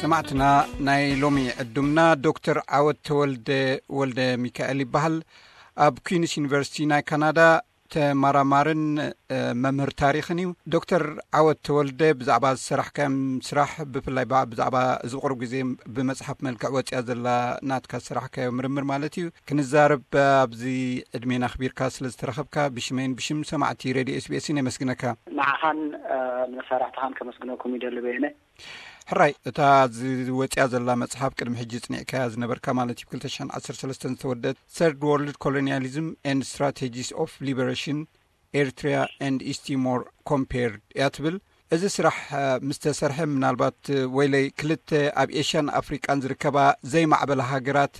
ሰማዕትና፣ ናይ ሎሚ ዕዱምና ዶክተር ዓወት ተወልደ ወልደ ሚካኤል ይበሃል። ኣብ ኩንስ ዩኒቨርሲቲ ናይ ካናዳ ተመራማርን መምህር ታሪኽን እዩ። ዶክተር ዓወት ተወልደ፣ ብዛዕባ ዝሰራሕካዮም ስራሕ፣ ብፍላይ ብዛዕባ እዚ ቁሩብ ግዜ ብመጽሓፍ መልክዕ ወጽያ ዘላ ናትካ ዝሰራሕካዮ ምርምር ማለት እዩ፣ ክንዛረብ ኣብዚ ዕድሜና ኣኽቢርካ ስለ ዝተረኸብካ፣ ብሽመይን ብሽም ሰማዕቲ ሬድዮ ኤስቢኤስን የመስግነካ። ንዓኻን ንመሳርሕትኻን ከመስግነኩም ይደሊ በየነ። ሕራይ፣ እታ ዝወጽያ ዘላ መጽሓፍ፣ ቅድሚ ሕጂ ጽኒዕካያ ዝነበርካ ማለት እዩ፣ ብ ክልተ ሽሕን ዓሰርተ ሰለስተን ዝተወደት Third World Colonialism and Strategies of Liberation, Eritrea and East Timor Compared እያ ትብል። እዚ ስራሕ ምስ ተሰርሐ፣ ምናልባት ወይለይ ክልተ ኣብ ኤሽያን ኣፍሪቃን ዝርከባ ዘይማዕበላ ሃገራት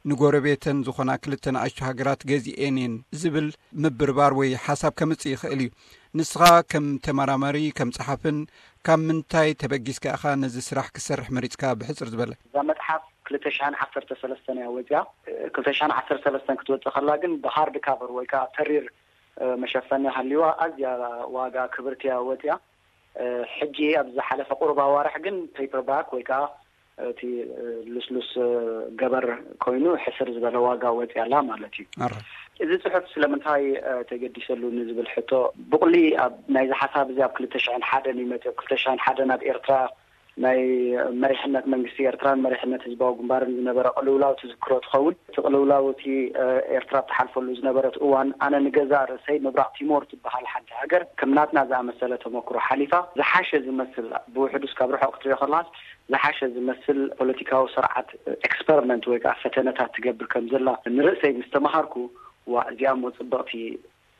ንጎረቤተን ዝኾና ክልተ ንኣሽቱ ሃገራት ገዚኤን እየን ዝብል ምብርባር ወይ ሓሳብ ከምጽእ ይኽእል እዩ። ንስኻ ከም ተመራማሪ፣ ከም ጸሓፍን፣ ካብ ምንታይ ተበጊስካ ኢኻ ነዚ ስራሕ ክትሰርሕ መሪጽካ? ብሕጽር ዝበለ። እዛ መጽሓፍ ክልተ ሽሕን ዓሰርተ ሰለስተን እያ ወጽያ። ክልተ ሽሕን ዓሰርተ ሰለስተን ክትወጽእ ከላ ግን ብሃርድ ካቨር ወይ ከዓ ተሪር መሸፈኒ ሃልይዋ፣ ኣዝያ ዋጋ ክብርትያ ወጽያ። ሕጂ ኣብ ዝሓለፈ ቁሩብ ኣዋርሕ ግን ፔፐርባክ ወይ ከዓ እቲ ልስሉስ ገበር ኮይኑ ሕስር ዝበለ ዋጋ ወጽያ ኣላ ማለት እዩ። እዚ ጽሑፍ ስለምንታይ ተገዲሰሉ ንዝብል ሕቶ፣ ብቑሊ ኣብ ናይዚ ሓሳብ እዚ ኣብ ክልተ ሽሕን ሓደን እዩ መጽእ። ክልተ ሽሕን ሓደን ኣብ ኤርትራ ናይ መሪሕነት መንግስቲ ኤርትራን መሪሕነት ህዝባዊ ግንባርን ዝነበረ ቅልውላው ትዝክሮ ትኸውን። እቲ ቅልውላው፣ እቲ ኤርትራ ትሓልፈሉ ዝነበረት እዋን፣ ኣነ ንገዛእ ርእሰይ ምብራቕ ቲሞር ትበሃል ሓንቲ ሃገር ከም ናትና ዝኣመሰለ ተመክሮ ሓሊፋ፣ ዝሓሸ ዝመስል፣ ብውሕዱስ ካብ ርሑቕ ክትሪኦ ከለኻስ ዝሓሸ ዝመስል ፖለቲካዊ ስርዓት ኤክስፐሪመንት ወይ ከዓ ፈተነታት ትገብር ከም ዘላ ንርእሰይ ምስ ተመሃርኩ፣ ዋ፣ እዚኣ እሞ ጽብቕቲ፣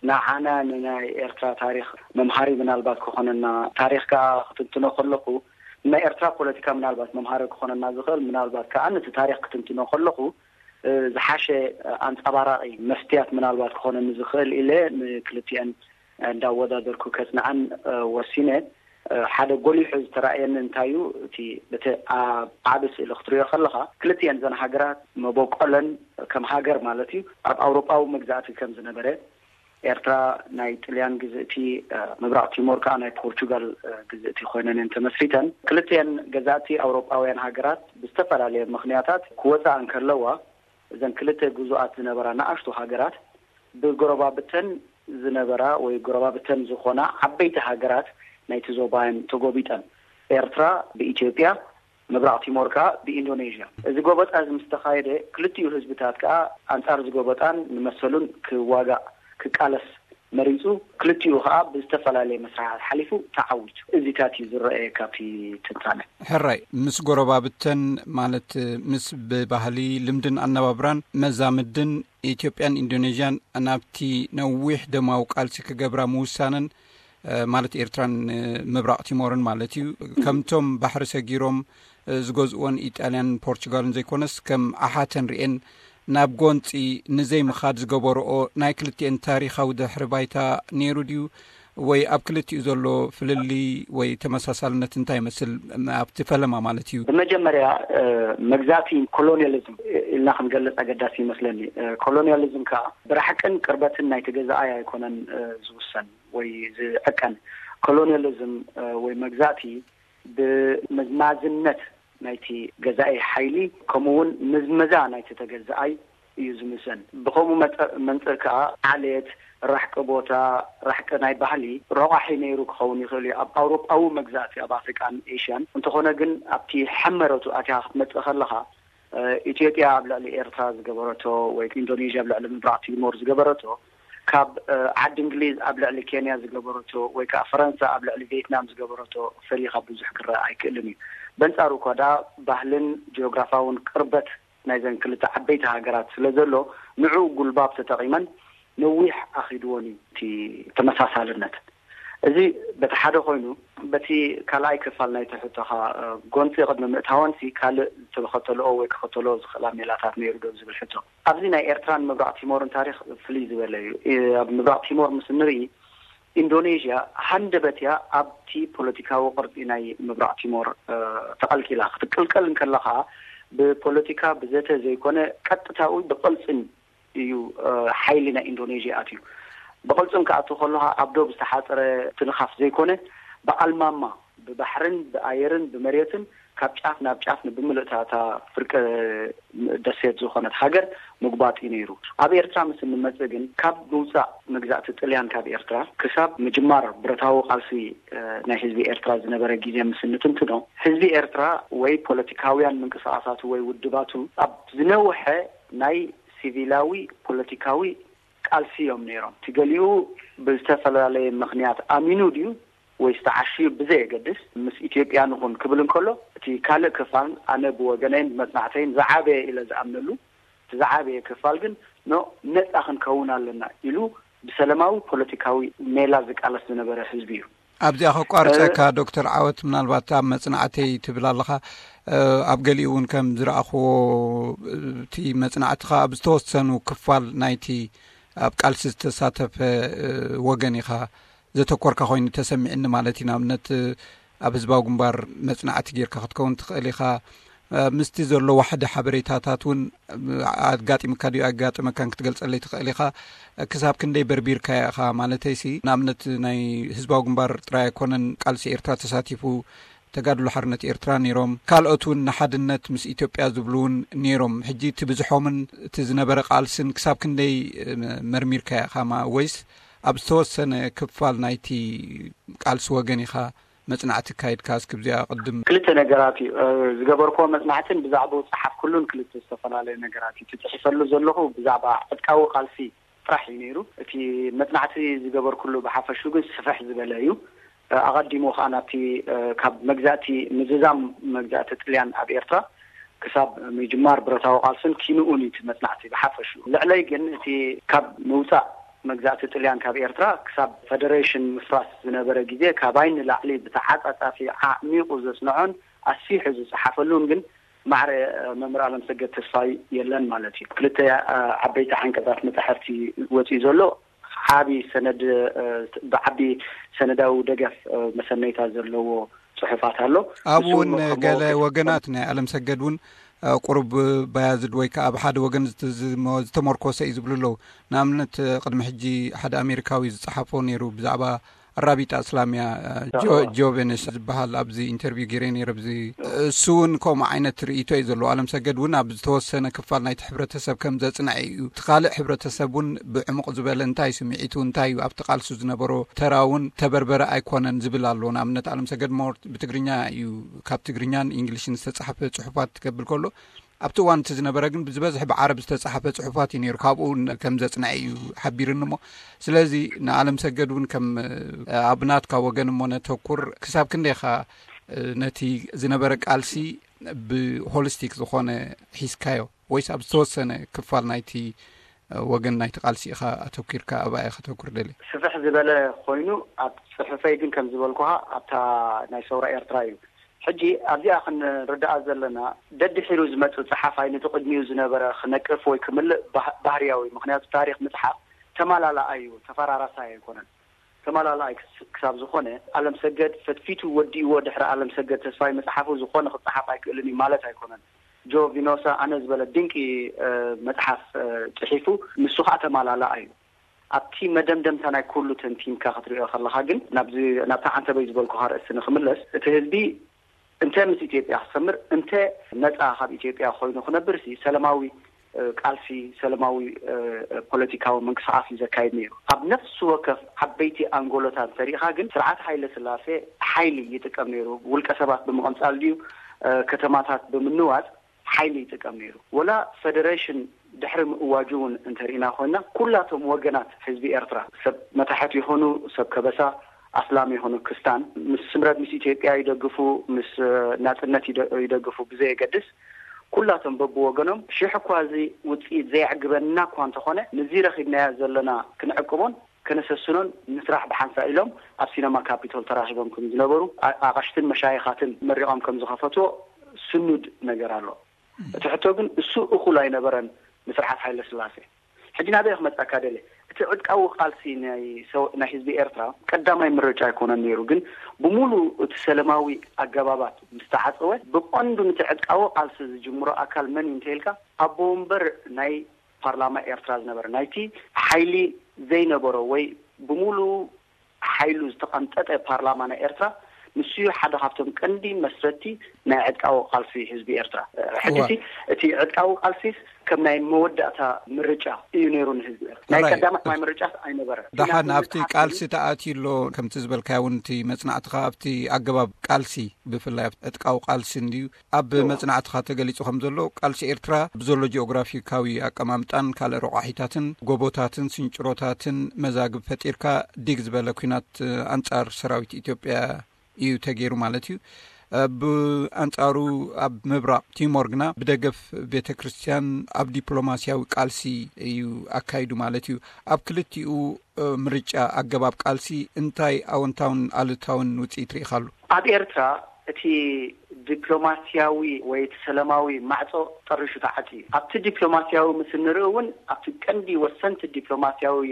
ንዓና ንናይ ኤርትራ ታሪኽ መምሃሪ ምናልባት ክኾነና፣ ታሪኽ ከኣ ክትንትኖ ከለኹ፣ ናይ ኤርትራ ፖለቲካ ምናልባት መምሃሪ ክኾነና ዝኽእል፣ ምናልባት ከኣ ነቲ ታሪኽ ክትንትኖ ከለኹ ዝሓሸ ኣንጸባራቒ መስትያት ምናልባት ክኾነኒ ዝኽእል ኢለ ንክልቲአን እንዳወዳደርኩ ከጽንዓን ወሲነ። ሓደ ጎሊሑ ዝተራእየኒ እንታይ እዩ፣ እቲ በቲ ኣብ ዓቢ ስእሊ ክትሪኦ ከለኻ፣ ክልቲአን ዘን ሃገራት መበቆለን ከም ሃገር ማለት እዩ፣ ኣብ ኣውሮጳዊ መግዛእቲ ከም ዝነበረ፣ ኤርትራ ናይ ጥልያን ግዝእቲ፣ ምብራቕ ቲሞር ከኣ ናይ ፖርቹጋል ግዝእቲ ኮይነን እየን ተመስሪተን። ክልቲአን ገዛእቲ ኣውሮጳውያን ሃገራት ብዝተፈላለየ ምኽንያታት ክወጻ እንከለዋ፣ እዘን ክልተ ግዙኣት ዝነበራ ንኣሽቱ ሃገራት ብጎረባብተን ዝነበራ ወይ ጎረባብተን ዝኾና ዓበይቲ ሃገራት ናይቲ ዞባየን ተጎቢጠን። ኤርትራ ብኢትዮጵያ፣ ምብራቕ ቲሞር ከኣ ብኢንዶኔዥያ። እዚ ጎበጣ እዚ ምስ ተኻየደ፣ ክልቲኡ ህዝብታት ከኣ ኣንጻር እዚ ጎበጣን ንመሰሉን ክዋጋእ፣ ክቃለስ መሪጹ። ክልቲኡ ከኣ ብዝተፈላለየ መስርሓት ሓሊፉ ተዓዊቱ። እዚታት እዩ ዝረኣየ ካብቲ ትንታነ። ሕራይ፣ ምስ ጎረባብተን፣ ማለት ምስ ብባህሊ፣ ልምድን ኣነባብራን መዛምድን ኢትዮጵያን ኢንዶኔዥያን ናብቲ ነዊሕ ደማዊ ቃልሲ ክገብራ ምውሳነን፣ ማለት ኤርትራን ምብራቕ ቲሞርን ማለት እዩ፣ ከምቶም ባሕሪ ሰጊሮም ዝገዝእወን ኢጣልያን ፖርቹጋልን ዘይኮነስ፣ ከም ኣሓተን ርኤን ናብ ጎንጺ ንዘይምኻድ ዝገበርኦ ናይ ክልቲኤን ታሪኻዊ ድሕሪ ባይታ ነይሩ ድዩ? ወይ ኣብ ክልቲኡ ዘሎ ፍልልይ ወይ ተመሳሳልነት እንታይ ይመስል? ኣብቲ ፈለማ ማለት እዩ። ብመጀመርያ፣ መግዛእቲ፣ ኮሎኒያሊዝም ኢልና ክንገልጽ ኣገዳሲ ይመስለኒ። ኮሎኒያሊዝም ከኣ ብራሕቅን ቅርበትን ናይቲ ገዛኣይ ኣይኮነን ዝውሰን ወይ ዝዕቀን። ኮሎኒያሊዝም ወይ መግዛእቲ ብመዝማዝነት ናይቲ ገዛኢ ሓይሊ፣ ከምኡ እውን ምዝመዛ ናይቲ ተገዛኣይ እዩ ዝምዘን። ብኸምኡ መጠ-፣ መንጽር ከኣ ዓሌት፣ ራሕቂ ቦታ፣ ራሕቂ ናይ ባህሊ ረቋሒ ነይሩ ክኸውን ይኽእል እዩ ኣብ ኣውሮጳዊ መግዛእቲ ኣብ ኣፍሪቃን ኤሽያን። እንተኾነ ግን ኣብቲ ሕመረቱ ኣትያ ክትመጽእ ከለኻ፣ ኢትዮጵያ ኣብ ልዕሊ ኤርትራ ዝገበረቶ ወይ ኢንዶኔዥያ ኣብ ልዕሊ ምብራቕ ቲሞር ዝገበረቶ፣ ካብ ዓዲ እንግሊዝ ኣብ ልዕሊ ኬንያ ዝገበረቶ ወይ ከዓ ፈረንሳ ኣብ ልዕሊ ቬትናም ዝገበረቶ ፈሊኻ ብዙሕ ክረኣ ኣይክእልን እዩ። በንጻሩ እኳ ደኣ ባህልን ጂኦግራፋውን ቅርበት ናይዘን ክልተ ዓበይቲ ሃገራት ስለ ዘሎ፣ ንዕኡ ጉልባብ ተጠቒመን ነዊሕ ኣኺድወን እዩ እቲ ተመሳሳልነት። እዚ በቲ ሓደ ኮይኑ፣ በቲ ካልኣይ ክፋል ናይቲ ሕቶኻ፣ ጎንጺ ቅድሚ ምእታወንሲ ካልእ ዝተኸተልኦ ወይ ክኸተልኦ ዝኽእላ ሜላታት ነይሩ ዶ ዝብል ሕቶ። ኣብዚ ናይ ኤርትራን ምብራቕ ቲሞርን ታሪኽ ፍልይ ዝበለ እዩ። ኣብ ምብራቕ ቲሞር ምስ እንርኢ፣ ኢንዶኔዥያ ሃንደበት እያ ኣብቲ ፖለቲካዊ ቅርጺ ናይ ምብራቕ ቲሞር ተቐልቂላ። ክትቅልቀል እንከለኻ ብፖለቲካ ብዘተ ዘይኮነ ቀጥታዊ ብቕልጽም እዩ ሓይሊ ናይ ኢንዶኔዥያ ኣትዩ። ብቕልጽም ክኣቱ ከለኻ ኣብ ዶብ ዝተሓጸረ ትንኻፍ ዘይኮነ፣ ብኣልማማ፣ ብባሕርን ብኣየርን ብመሬትን ካብ ጫፍ ናብ ጫፍ ንብምልእታ እታ ፍርቂ ደሴት ዝኾነት ሃገር ምጉባጥ እዩ ነይሩ። ኣብ ኤርትራ ምስ እንመጽእ ግን፣ ካብ ምውጻእ መግዛእቲ ጥልያን ካብ ኤርትራ ክሳብ ምጅማር ብረታዊ ቃልሲ፣ እ፣ ናይ ህዝቢ ኤርትራ ዝነበረ ግዜ ምስ እንትንትኖ፣ ህዝቢ ኤርትራ ወይ ፖለቲካውያን ምንቅስቓሳቱ ወይ ውድባቱ ኣብ ዝነውሐ ናይ ሲቪላዊ ፖለቲካዊ ቃልሲ እዮም ነይሮም። እቲ ገሊኡ ብዝተፈላለየ ምኽንያት ኣሚኑ ድዩ ወይስ ተዓሽዩ ብዘየገድስ፣ ምስ ኢትዮጵያ ንኹን ክብል እንከሎ፣ እቲ ካልእ ክፋል፣ ኣነ ብወገነይን ብመጽናዕተይን ዝዓበየ ኢለ ዝኣምነሉ፣ እቲ ዝዓበየ ክፋል ግን፣ ኖ፣ ነጻ ክንከውን ኣለና ኢሉ ብሰለማዊ ፖለቲካዊ ሜላ ዝቃለስ ዝነበረ ህዝቢ እዩ። ኣብዚኣ ከቋርጸካ፣ እ፣ ዶክተር ዓወት፣ ምናልባት ኣብ መጽናዕተይ ትብል ኣለኻ። እ፣ ኣብ ገሊኡ እውን ከም ዝረኣኽዎ፣ እቲ መጽናዕትኻ ኣብ ዝተወሰኑ ክፋል ናይቲ ኣብ ቃልሲ ዝተሳተፈ፣ እ፣ ወገን ኢኻ ዘተኮርካ ኮይኑ ተሰሚዕኒ ማለት እዩ። ንኣብነት፣ ኣብ ህዝባዊ ግንባር መጽናዕቲ ጌርካ ክትከውን ትኽእል ኢኻ። እ፣ ምስቲ ዘሎ ዋሕዲ ሓበሬታታት እውን፣ እ፣ ኣጋጢምካ ድዩ ኣጋጥመካን ክትገልጸለይ ትኽእል ኢኻ። ክሳብ ክንደይ በርቢርካዮ ኢኻ? ማለተይሲ፣ ንኣብነት፣ ናይ ህዝባዊ ግንባር ጥራይ ኣይኮነን ቃልሲ ኤርትራ ተሳቲፉ፣ ተጋድሎ ሓርነት ኤርትራ ነይሮም፣ ካልኦት እውን ንሓድነት ምስ ኢትዮጵያ ዝብሉ እውን ነይሮም። ሕጂ እቲ ብዝሖምን እቲ ዝነበረ ቃልስን ክሳብ ክንደይ፣ እ፣ መርሚርካዮ ኢኻ? ማ-፣ ወይስ ኣብ ዝተወሰነ ክፋል ናይቲ ቃልሲ ወገን ኢኻ መጽናዕቲ ኣካይድካ? እስኪ ብዚኣ ቅድም። ክልተ ነገራት እዩ፣ እ፣ ዝገበርክዎ መጽናዕትን ብዛዕባኡ ዝጸሓፍኩሉን ክልተ ዝተፈላለየ ነገራት እዩ። እቲ ጽሒፈሉ ዘለኹ ብዛዕባ ዕጥቃዊ ቃልሲ ጥራሕ እዩ ነይሩ። እቲ መጽናዕቲ ዝገበርኩሉ ብሓፈሹ ግን ስፍሕ ዝበለ እዩ። እ፣ ኣቐዲሙ ከኣ ናብቲ፣ እ፣ ካብ መግዛእቲ ምዝዛም መግዛእቲ ጥልያን ኣብ ኤርትራ ክሳብ ምጅማር ብረታዊ ቃልስን ኪንኡን እዩ እቲ መጽናዕቲ ብሓፈሹ። ልዕለይ ግን እቲ ካብ ምውጻእ መግዛእቲ ጥልያን ካብ ኤርትራ ክሳብ ፈደሬሽን ምፍራስ ዝነበረ ግዜ ካባይ ንላዕሊ ብተዓጻጻፊ ዓሚቑ ዘጽንዖን ኣስፊሑ ዝጸሓፈሉን ግን ማዕረ፣ እ፣ መምህር ኣለምሰገድ ተስፋይ የለን ማለት እዩ። ክልተ፣ እ፣ ዓበይቲ ዓንቀጻት መጻሕፍቲ ወጺኡ ዘሎ ዓቢ ሰነድ፣ እ፣ ብዓቢ ሰነዳዊ ደገፍ፣ እ፣ መሰነይታ ዘለዎ ጽሑፋት ኣሎ። ኣብኡ ንሱ እውን ከም ገለ መወከሲ ወገናት ናይ ኣለምሰገድ እውን፣ እ፣ ቁሩብ ባያዝድ ወይ ከኣ ኣብ ሓደ ወገን ዝት-፣ ዝሞ-፣ ዝተመርኮሰ እዩ ዝብሉ ኣለዉ። ንኣብነት፣ እ፣ ቅድሚ ሕጂ ሓደ ኣሜሪካዊ ዝጸሓፎ ነይሩ ብዛዕባ ኣራቢጣ እስላምያ፣ እ፣ ጆ-፣ ጆ ቬነስ ዝበሃል ኣብዚ ኢንተርቪው ገይረ ነይረ። ኣብዚ እሱ እውን ከምኡ ዓይነት ርእይቶ እዩ ዘለዎ። ኣለምሰገድ እውን ኣብ ዝተወሰነ ክፋል ናይቲ ሕብረተሰብ ከም ዘጽንዐ እዩ። እቲ ካልእ ሕብረተሰብ እውን ብዕሙቕ ዝበለ እንታይ ስምዒቱ፣ እንታይ እዩ ኣብቲ ቃልሱ ዝነበሮ ተራ እውን ተበርበረ ኣይኮነን ዝብል ኣሎ። ንኣብነት ኣለምሰገድ ሞር ብትግርኛ እዩ፣ ካብ ትግርኛን ኢንግሊሽን ዝተጻሕፈ ጽሑፋት ክብል ከሎ፣ ኣብቲ እዋን እቲ ዝነበረ ግን ብዝበዝሕ ብዓረብ ዝተጻሕፈ ጽሑፋት እዩ ነይሩ። ካብኡ ን-፣ ከም ዘጽንዐ እዩ ሓቢርኒ እሞ፣ ስለዚ ንኣለም ሰገድ እውን ከም፣ እ፣ ኣብ ናትካ ወገን እሞ ነተኩር፣ ክሳብ ክንደይኻ፣ እ፣ ነቲ ዝነበረ ቃልሲ ብሆሊስቲክ ዝኾነ ሒዝካዮ ወይስ ኣብ ዝተወሰነ ክፋል ናይቲ፣ እ፣ ወገን ናይቲ ቃልሲ ኢኻ ኣተኲርካ ኣብኣ ኢኻ ከተኩር ደልየ? ስፍሕ ዝበለ ኮይኑ ኣብ ጽሑፈይ ግን ከም ዝበልኩኻ ኣብታ ናይ ሰውራ ኤርትራ እዩ። ሕጂ ኣብዚኣ ክንርዳኣ ዘለና፣ ደድሒሩ ዝመጽእ ጸሓፋይ ነቲ ቅድሚኡ ዝነበረ ክነቅፍ ወይ ክምልእ ባህ-፣ ባህርያዊ። ምኽንያቱ ታሪኽ ምጽሓፍ ተማላላኣይ እዩ፣ ተፈራራሳይ ኣይኮነን። ተማላላኣይ ክስ-፣ ክሳብ ዝኾነ፣ ኣለም ሰገድ ፈትፊቱ ወዲእዎ ድሕሪ ኣለም ሰገድ ተስፋይ መጽሓፉ ዝኾነ ክጸሓፍ ኣይክእልን እዩ ማለት ኣይኮነን። ጆ ቪኖሳ ኣነ ዝበለ ድንቂ፣ እ፣ መጽሓፍ፣ እ፣ ጽሒፉ፣ ንሱ ኸኣ ተማላላኣይ እዩ። ኣብቲ መደምደምታ ናይ ኩሉ ተንቲንካ ክትሪኦ ከለኻ ግን፣ ናብዚ፣ ናብታ ዓንተበይ ዝበልኩኻ ርእሲ ንኽምለስ፣ እቲ ህዝቢ እንተ ምስ ኢትዮጵያ ክሰምር፣ እንተ ነጻ ካብ ኢትዮጵያ ኮይኑ ክነብር ሲ፣ ሰለማዊ፣ እ፣ ቃልሲ፣ ሰለማዊ፣ እ፣ ፖለቲካዊ ምንቅስቓስ እዩ ዘካይድ ነይሩ። ኣብ ነፍሲ ወከፍ ዓበይቲ ኣንጎሎታት እንተሪኢኻ ግን፣ ስርዓት ሃይለ ስላሴ ሓይሊ ይጥቀም ነይሩ። ውልቀ ሰባት ብምቕንጻል ድዩ፣ እ፣ ከተማታት ብምንዋጽ ሓይሊ ይጥቀም ነይሩ። ወላ ፈደሬሽን ድሕሪ ምእዋጁ እውን እንተሪኢና ኮይና፣ ኩላቶም ወገናት ህዝቢ ኤርትራ፣ ሰብ መታሕት ይኹኑ ሰብ ከበሳ፣ ኣስላም ይኹኑ ክስታን፣ ምስ ስምረት ምስ ኢትዮጵያ ይደግፉ፣ ምስ፣ እ፣ ናጽነት ይደ-፣ ይደግፉ ብዘየገድስ፣ ኩላቶም በብወገኖም፣ ሽሕ እኳ እዚ ውጽኢት ዘየዕግበና እኳ እንተኾነ፣ ንዚ ረኺብናዮ ዘለና ክንዕቅቦን ከነሰስኖን ንስራሕ ብሓንሳእ ኢሎም ኣብ ሲነማ ካፒቶል ተራኺቦም ከም ዝነበሩ፣ ኣ-፣ ኣቐሽትን መሻይኻትን መሪቖም ከም ዝኸፈትዎ ስኑድ ነገር ኣሎ። እቲ ሕቶ ግን እሱ እኹል ኣይነበረን ንስርዓት ሃይለ ስላሴ። ሕጂ ናበይ ክመጻካ ደልየ? እቲ ዕጥቃዊ ቃልሲ ናይ ሰው-፣ ናይ ህዝቢ ኤርትራ ቀዳማይ ምርጫ ኣይኮነን ነይሩ። ግን ብምሉእ እቲ ሰለማዊ ኣገባባት ምስ ተዓጸወ፣ ብቐንዱ ነቲ ዕጥቃዊ ቃልሲ ዝጅምሮ ኣካል መን እዩ እንተኢልካ፣ ኣቦ ወንበር ናይ ፓርላማ ኤርትራ ዝነበረ፣ ናይቲ ሓይሊ ዘይነበሮ ወይ ብምሉእ ሓይሉ ዝተቐንጠጠ ፓርላማ ናይ ኤርትራ ንሱ እዩ ሓደ ካብቶም ቀንዲ መስረቲ ናይ ዕጥቃዊ ቃልሲ ህዝቢ ኤርትራ። ሕጂ እቲ ዕጥቃዊ ቃልሲስ ከም ናይ መወዳእታ ምርጫ እዩ ነይሩ ንህዝቢ ኤርትራ። ናይ ቀዳማይ ምርጫ ኣይነበረ። ደሓን ኣብቲ ቃልሲ ተኣትዩ ኣሎ። ከምቲ ዝበልካዮ እውን እቲ መጽናዕትኻ ኣብቲ ኣገባብ ቃልሲ፣ ብፍላይ ዕጥቃዊ ቃልሲ እንድዩ ኣብ መጽናዕትኻ ተገሊጹ ከም ዘሎ፣ ቃልሲ ኤርትራ ብዘሎ ጂኦግራፊካዊ ኣቀማምጣን ካልእ ረቋሒታትን ጎቦታትን ስንጭሮታትን መዛግብ ፈጢርካ ዲግ ዝበለ ኲናት ኣንጻር ሰራዊት ኢትዮጵያ እዩ ተገይሩ ማለት እዩ። ብኣንጻሩ ኣብ ምብራቕ ቲሞር ግና ብደገፍ ቤተ ክርስቲያን ኣብ ዲፕሎማሲያዊ ቃልሲ እዩ ኣካይዱ ማለት እዩ። ኣብ ክልቲኡ ምርጫ ኣገባብ ቃልሲ እንታይ ኣወንታውን ኣሉታውን ውጽኢት ርኢኻሉ? ኣብ ኤርትራ እቲ ዲፕሎማሲያዊ ወይ እቲ ሰላማዊ ማዕጾ ጠሪሹ ተዓጽዩ። ኣብቲ ዲፕሎማሲያዊ ምስ እንርኢ እውን ኣብቲ ቀንዲ ወሰንቲ ዲፕሎማሲያዊ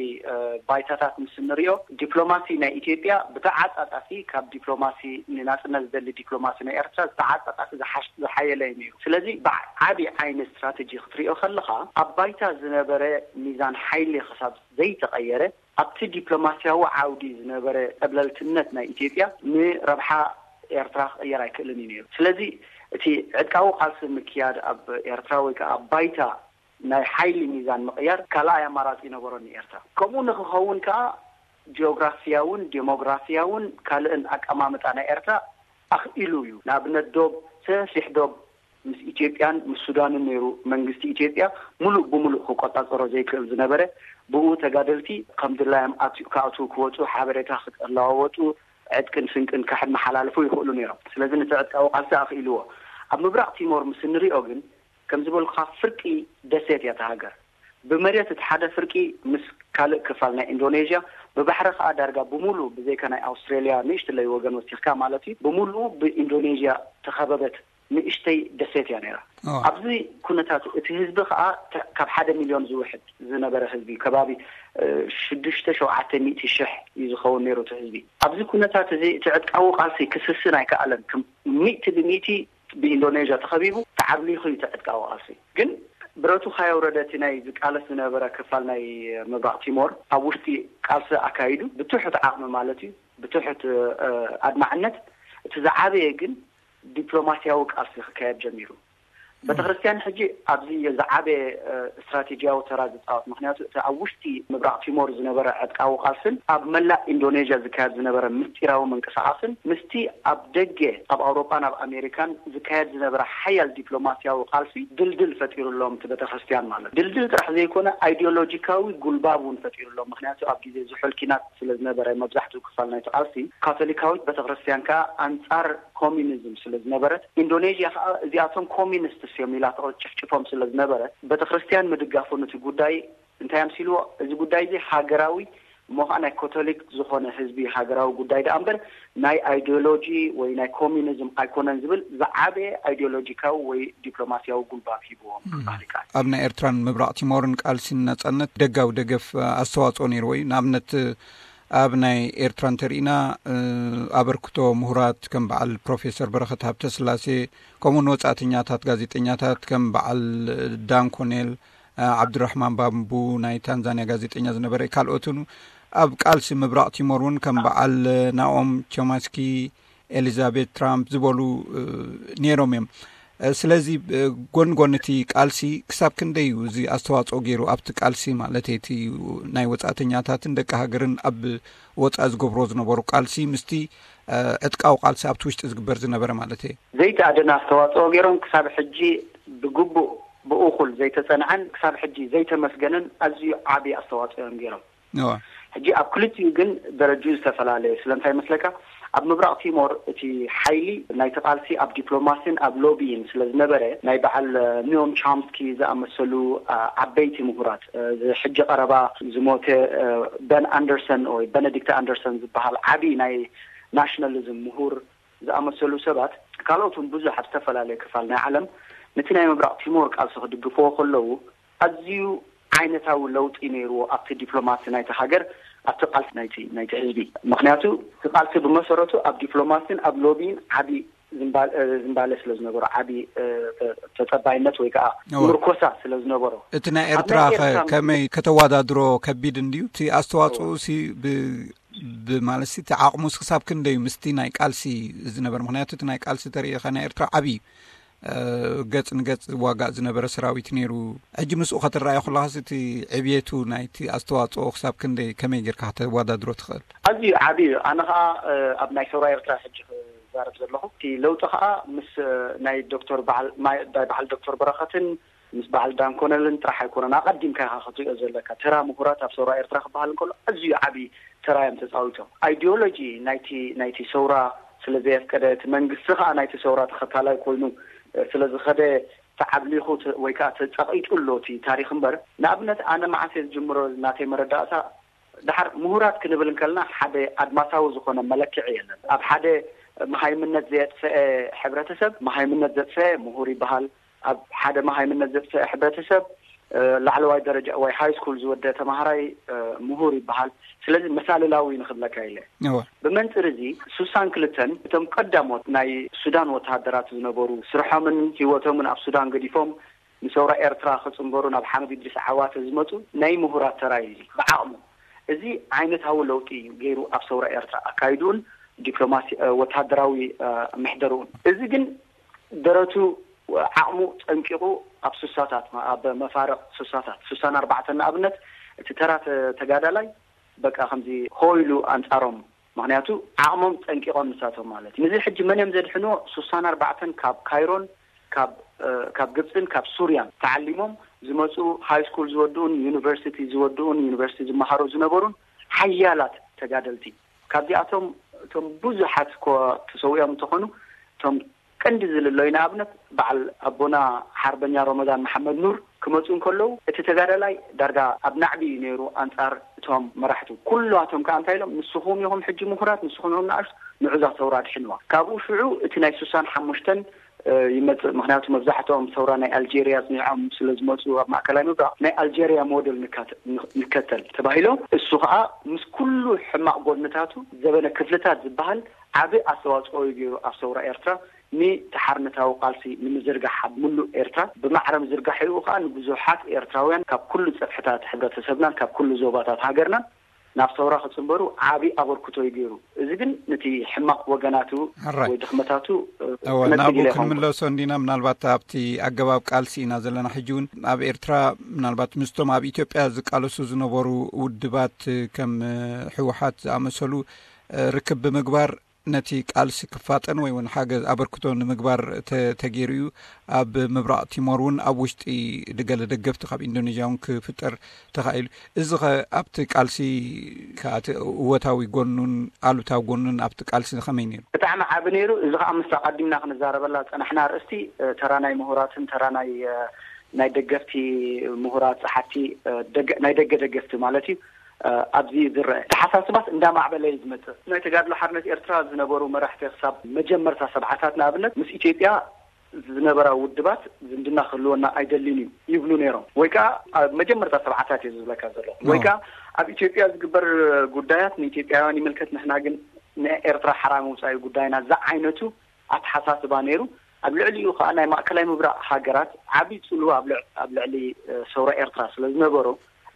ባይታታት ምስ እንሪኦ፣ ዲፕሎማሲ ናይ ኢትዮጵያ ብተዓጻጻፊ ካብ ዲፕሎማሲ ንናጽነት ዝደሊ ዲፕሎማሲ ናይ ኤርትራ ዝተዓጻጻፊ ዝሓየለ እዩ ነይሩ። ስለዚ ብዓቢ ዓይኒ ስትራቴጂ ክትሪኦ ከለኻ፣ ኣብ ባይታ ዝነበረ ሚዛን ሓይሊ ክሳብ ዘይተቐየረ፣ ኣብቲ ዲፕሎማሲያዊ ዓውዲ ዝነበረ ጠብለልትነት ናይ ኢትዮጵያ ንረብሓ ኤርትራ ክቕየር ኣይክእልን እዩ ነይሩ። ስለዚ እቲ ዕጥቃዊ ቃልሲ ምክያድ ኣብ ኤርትራ ወይ ከዓ ኣብ ባይታ ናይ ሓይሊ ሚዛን ምቕያር ካልኣይ ኣማራጺ ይነበሮን ንኤርትራ። ከምኡ ንክኸውን ከዓ ጂኦግራፊያውን ዴሞግራፊያውን ካልእን ኣቀማምጣ ናይ ኤርትራ ኣኽኢሉ እዩ። ንኣብነት ዶብ፣ ሰፊሕ ዶብ ምስ ኢትዮጵያን ምስ ሱዳንን ነይሩ። መንግስቲ ኢትዮጵያ ሙሉእ ብሙሉእ ክቆጻጸሮ ዘይክእል ዝነበረ፣ ብኡ ተጋደልቲ ከም ድላዮም ክኣትዉ ክወፁ፣ ሓበሬታ ክለዋወጡ፣ ዕጥቅን ስንቅን ከመሓላልፉ ይኽእሉ ነይሮም። ስለዚ ነቲ ዕጥቃዊ ቃልሲ ኣኽኢልዎ። ኣብ ምብራቕ ቲሞር ምስ እንሪኦ ግን ከም ዝበልኩኻ ፍርቂ ደሴት እያ እታ ሃገር። ብመሬት እቲ ሓደ ፍርቂ ምስ ካልእ ክፋል ናይ ኢንዶኔዥያ፣ ብባሕሪ ከዓ ዳርጋ ብሙሉ ብዘይካ ናይ ኣውስትሬልያ ንእሽትለይ ወገን ወሲኽካ ማለት እዩ፣ ብሙሉ ብኢንዶኔዥያ ተኸበበት ንእሽተይ ደሴት እያ ነይራ። ኣብዚ ኩነታት እቲ ህዝቢ ከዓ ካብ ሓደ ሚልዮን ዝውሕድ ዝነበረ ህዝቢ፣ ከባቢ ሽዱሽተ ሸውዓተ ሚእቲ ሽሕ እዩ ዝኸውን ነይሩ እቲ ህዝቢ። ኣብዚ ኩነታት እዚ እቲ ዕጥቃዊ ቃልሲ ክስስን ኣይከኣለን። ከም ሚእቲ ብሚእቲ ብኢንዶኔዥያ ተኸቢቡ ተዓብሊኹ እዩ እቲ ዕጥቃዊ ቃልሲ። ግን ብረቱ ካየውረደ እቲ ናይ ዝቃለስ ዝነበረ ክፋል ናይ ምብራቕ ቲሞር ኣብ ውሽጢ ቃልሲ ኣካይዱ ብትሑት ዓቕሚ ማለት እዩ፣ ብትሑት ኣድማዕነት። እቲ ዝዓበየ ግን ዲፕሎማሲያዊ ቃልሲ ክካየድ ጀሚሩ። ቤተክርስትያን ሕጂ ኣብዚ ዝዓበየ ስትራቴጂያዊ ተራ ዝፃወት። ምክንያቱ እቲ ኣብ ውሽጢ ምብራቕ ቲሞር ዝነበረ ዕጥቃዊ ቃልስን ኣብ መላእ ኢንዶኔዥያ ዝካየድ ዝነበረ ምስጢራዊ ምንቅስቃስን ምስቲ ኣብ ደገ ኣብ ኣውሮጳን ኣብ ኣሜሪካን ዝካየድ ዝነበረ ሓያል ዲፕሎማሲያዊ ቃልሲ ድልድል ፈጢሩሎም። እቲ ቤተክርስትያን ማለት ድልድል ጥራሕ ዘይኮነ ኣይዲዮሎጂካዊ ጉልባብ እውን ፈጢሩሎም። ምክንያቱ ኣብ ግዜ ዝሑል ኪናት ስለዝነበረ መብዛሕትኡ ክፋል ናይቲ ቃልሲ ካቶሊካዊት ቤተክርስትያን ከዓ ኣንጻር ኮሚኒዝም ስለዝነበረት፣ ኢንዶኔዥያ ከዓ እዚኣቶም ኮሚኒስትስ እዮም ኢላ ትጭፍጭፎም ስለዝነበረት፣ ቤተክርስትያን ምድጋፉ ነቲ ጉዳይ እንታይ ኣምሲልዎ? እዚ ጉዳይ እዚ ሃገራዊ እሞ ከዓ ናይ ካቶሊክ ዝኾነ ህዝቢ ሃገራዊ ጉዳይ ደኣ እምበር ናይ ኣይዲዮሎጂ ወይ ናይ ኮሚኒዝም ኣይኮነን ዝብል ዝዓበየ ኣይዲዮሎጂካዊ ወይ ዲፕሎማሲያዊ ጉልባብ ሂብዎም ክበሃል ይከኣል። ኣብ ናይ ኤርትራን ምብራቕ ቲሞርን ቃልሲ ንናጻነት ደጋዊ ደገፍ ኣስተዋጽኦ ነይርዎ እዩ። ንኣብነት ኣብ ናይ ኤርትራ እንተርኢና ኣበርክቶ ምሁራት ከም በዓል ፕሮፌሰር በረኸት ሃብተስላሴ፣ ከምኡውን ወጻእተኛታት ጋዜጠኛታት ከም በዓል ዳን ኮኔል፣ ዓብዱራሕማን ባምቡ ናይ ታንዛንያ ጋዜጠኛ ዝነበረ፣ ካልኦትን ኣብ ቃልሲ ምብራቕ ቲሞር እውን ከም በዓል ናኦም ቾማስኪ፣ ኤሊዛቤት ትራምፕ ዝበሉ ነይሮም እዮም። ስለዚ ጎን ጎን እቲ ቃልሲ ክሳብ ክንደይ እዩ እዚ ኣስተዋፅኦ ገይሩ ኣብቲ ቃልሲ ማለት እቲ ናይ ወፃእተኛታትን ደቂ ሃገርን ኣብ ወፃኢ ዝገብሮ ዝነበሩ ቃልሲ ምስቲ ዕጥቃዊ ቃልሲ ኣብቲ ውሽጢ ዝግበር ዝነበረ ማለት እየ። ዘይተኣደነ ኣስተዋፅኦ ገይሮም ክሳብ ሕጂ ብግቡእ ብእኹል ዘይተፀንዐን ክሳብ ሕጂ ዘይተመስገነን ኣዝዩ ዓብዪ ኣስተዋፅኦ እዮም ገይሮም። ሕጂ ኣብ ክልቲኡ ግን ደረጅኡ ዝተፈላለየ። ስለምንታይ መስለካ? ኣብ ምብራቕ ቲሞር እቲ ሓይሊ ናይቲ ቃልሲ ኣብ ዲፕሎማሲን ኣብ ሎቢን ስለ ዝነበረ ናይ በዓል ኒዮም ቻምስኪ ዝኣመሰሉ ዓበይቲ ምሁራት፣ ሕጂ ቀረባ ዝሞተ በን ኣንደርሰን ወይ በነዲክት ኣንደርሰን ዝበሃል ዓብዪ ናይ ናሽናሊዝም ምሁር ዝኣመሰሉ ሰባት፣ ካልኦት እውን ብዙሕ ኣብ ዝተፈላለየ ክፋል ናይ ዓለም ነቲ ናይ ምብራቕ ቲሞር ቃልሲ ክድግፍዎ ከለዉ ኣዝዩ ዓይነታዊ ለውጢ ነይርዎ ኣብቲ ዲፕሎማሲ ናይቲ ሃገር፣ ኣብቲ ቃልሲ ናይቲ ህዝቢ። ምክንያቱ እቲ ቃልሲ ብመሰረቱ ኣብ ዲፕሎማሲን ኣብ ሎቢን ዓቢ ዝምባለ ስለ ዝነበሮ፣ ዓቢ ተጸባይነት ወይ ከዓ ምርኮሳ ስለ ዝነበሮ። እቲ ናይ ኤርትራ ከመይ ከተወዳድሮ ከቢድ እንድዩ? እቲ ኣስተዋጽኦ ሲ ብማለትሲ እቲ ዓቕሙስ ክሳብ ክንደዩ ምስቲ ናይ ቃልሲ ዝነበረ? ምኽንያቱ እቲ ናይ ቃልሲ ተርእኻ ናይ ኤርትራ ዓብዪ ገጽ ንገጽ ዝዋጋእ ዝነበረ ሰራዊት ነይሩ። ሕጂ ምስኡ ከተረኣዮ ከለኻስ እቲ ዕብየቱ ናይቲ ኣስተዋጽኦ ክሳብ ክንደይ ከመይ ጌርካ ከተወዳድሮ ትኽእል? ኣዝዩ ዓብዪ እዩ። ኣነ ኸዓ ኣብ ናይ ሰውራ ኤርትራ ሕጂ ክዛረብ ዘለኹ እቲ ለውጢ ኸዓ ምስ ናይ ዶክተር በዓል ናይ በዓል ዶክተር በረኸትን ምስ በዓል ዳንኮነልን ጥራሕ ኣይኮነን። ኣቐዲምካ ኢኻ ክትሪኦ ዘለካ። ተራ ምሁራት ኣብ ሰውራ ኤርትራ ክበሃል እንከሎ ኣዝዩ ዓብዪ ተራ እዮም ተጻዊቶም። ኣይዲዮሎጂ ናይቲ ናይቲ ሰውራ ስለ ዘየፍቀደ፣ እቲ መንግስቲ ኸዓ ናይቲ ሰውራ ተኸታላይ ኮይኑ ስለ ዝኸደ ተዓብሊኹ ወይ ከዓ ተጸቒጡ ኣሎ እቲ ታሪኽ እምበር። ንኣብነት ኣነ መዓስ እየ ዝጅምሮ ናተይ መረዳእታ፣ ድሓር ምሁራት ክንብል እንከልና ሓደ ኣድማሳዊ ዝኾነ መለክዒ የለን። ኣብ ሓደ መሃይምነት ዘየጥፈአ ሕብረተሰብ መሃይምነት ዘጥፈአ ምሁር ይበሃል። ኣብ ሓደ መሃይምነት ዘጥፈአ ሕብረተሰብ ላዕለዋይ ደረጃ ወይ ሃይ ስኩል ዝወደ ተማሃራይ ምሁር ይበሃል። ስለዚ መሳልላዊ ንኽብለካ ኢለ። ብመንፅር እዚ ሱሳን ክልተን እቶም ቀዳሞት ናይ ሱዳን ወተሃደራት ዝነበሩ ስርሖምን ህይወቶምን ኣብ ሱዳን ገዲፎም ንሰውራ ኤርትራ ክጽንበሩ ናብ ሓምድ ኢድሪስ ዓዋተ ዝመጹ ናይ ምሁራት ተራይ እዚ ብዓቕሙ እዚ ዓይነታዊ ለውጢ እዩ ገይሩ ኣብ ሰውራ ኤርትራ ኣካይዱን ዲፕሎማሲ ወተሃደራዊ ምሕደርኡን። እዚ ግን ደረቱ ዓቕሙ ጸንቂቑ ኣብ ሱሳታት ኣብ መፋርቕ ሱሳታት ሱሳን ኣርባዕተን ንኣብነት እቲ ተራ ተጋዳላይ በቃ ከምዚ ሆይሉ ኣንጻሮም። ምኽንያቱ ዓቕሞም ጸንቂቖም ንሳቶም ማለት እዩ። ንዚ ሕጂ መን እዮም ዘድሕንዎ? ሱሳን ኣርባዕተን ካብ ካይሮን ካብ ግብፅን ካብ ሱርያን ተዓሊሞም ዝመፁ ሃይ ስኩል ዝወድኡን ዩኒቨርሲቲ ዝወድኡን ዩኒቨርሲቲ ዝመሃሩ ዝነበሩን ሓያላት ተጋደልቲ። ካብዚኣቶም እቶም ብዙሓት እኮ ተሰዊኦም እንተኾኑ እቶም ቀንዲ ዝልለዩ ንኣብነት በዓል ኣቦና ሓርበኛ ሮመዳን መሓመድ ኑር ክመፁ እንከለዉ እቲ ተጋዳላይ ዳርጋ ኣብ ናዕቢ እዩ ነይሩ ኣንፃር እቶም መራሕቱ። ኩላቶም ከዓ እንታይ ኢሎም ንስኹም ኢኹም ሕጂ ምሁራት ንስኹም ኢኹም ንኣሽቱ ንዑዛ ሰውራ ድሕንዋ። ካብኡ ሽዑ እቲ ናይ ሱሳን ሓሙሽተን ይመፅእ። ምክንያቱ መብዛሕትኦም ሰውራ ናይ ኣልጀርያ ኣፅኒዖም ስለ ዝመፁ ኣብ ማእከላይ ምብራቕ ናይ ኣልጀርያ ሞደል ንከተል ተባሂሎም እሱ ከዓ ምስ ኩሉ ሕማቕ ጎድንታቱ ዘበነ ክፍልታት ዝበሃል ዓቢ ኣስተዋፅኦ እዩ ገይሩ ኣብ ሰውራ ኤርትራ ንተሓርነታዊ ቃልሲ ንምዝርጋሕ ኣብ ምሉእ ኤርትራ ብማዕረ ምዝርጋሕ ይኡ ከዓ ንብዙሓት ኤርትራውያን ካብ ኩሉ ፀፍሕታት ሕብረተሰብናን ካብ ኩሉ ዞባታት ሃገርናን ናብ ሰውራ ክጽንበሩ ዓቢ ኣበርክቶ እዩ ገይሩ። እዚ ግን ነቲ ሕማቕ ወገናቱ ወይ ድኽመታቱ ናብኡ ክንምለሶ እንዲና። ምናልባት ኣብቲ ኣገባብ ቃልሲ ኢና ዘለና። ሕጂ እውን ኣብ ኤርትራ ምናልባት ምስቶም ኣብ ኢትዮጵያ ዝቃለሱ ዝነበሩ ውድባት ከም ህወሓት ዝኣመሰሉ ርክብ ብምግባር ነቲ ቃልሲ ክፋጠን ወይ እውን ሓገዝ ኣበርክቶ ንምግባር ተገይሩ እዩ። ኣብ ምብራቕ ቲሞር እውን ኣብ ውሽጢ ገለ ደገፍቲ ካብ ኢንዶኔዥያ እውን ክፍጠር ተኻኢሉ። እዚ ኸ ኣብቲ ቃልሲ ከኣቲ እወታዊ ጎኑን ኣሉታዊ ጎኑን ኣብቲ ቃልሲ ከመይ ነይሩ? ብጣዕሚ ዓቢ ነይሩ። እዚ ከዓ ምስ ኣቐዲምና ክንዛረበላ ዝፀናሕና ኣርእስቲ ተራ ናይ ምሁራትን ተራ ናይ ናይ ደገፍቲ ምሁራት ፀሓፍቲ ናይ ደገ ደገፍቲ ማለት እዩ ኣብዚ ዝረአ ተሓሳስባት እንዳማዕበለ እዩ ዝመፅእ። ናይ ተጋድሎ ሓርነት ኤርትራ ዝነበሩ መራሕቲ ክሳብ መጀመርታ ሰብዓታት ንኣብነት ምስ ኢትዮጵያ ዝነበራ ውድባት ዝምድና ክህልወና ኣይደልን እዩ ይብሉ ነይሮም። ወይ ከዓ ኣብ መጀመርታ ሰብዓታት እየ ዝብለካ ዘለኹ። ወይ ከዓ ኣብ ኢትዮጵያ ዝግበር ጉዳያት ንኢትዮጵያውያን ይምልከት፣ ንሕና ግን ንኤርትራ ሓራ ምውፃእ እዩ ጉዳይና ዝዓይነቱ ኣተሓሳስባ ነይሩ። ኣብ ልዕሊኡ ከዓ ናይ ማእከላይ ምብራቕ ሃገራት ዓብዪ ፅልዋ ኣብ ልዕሊ ሰውራ ኤርትራ ስለ ዝነበሮ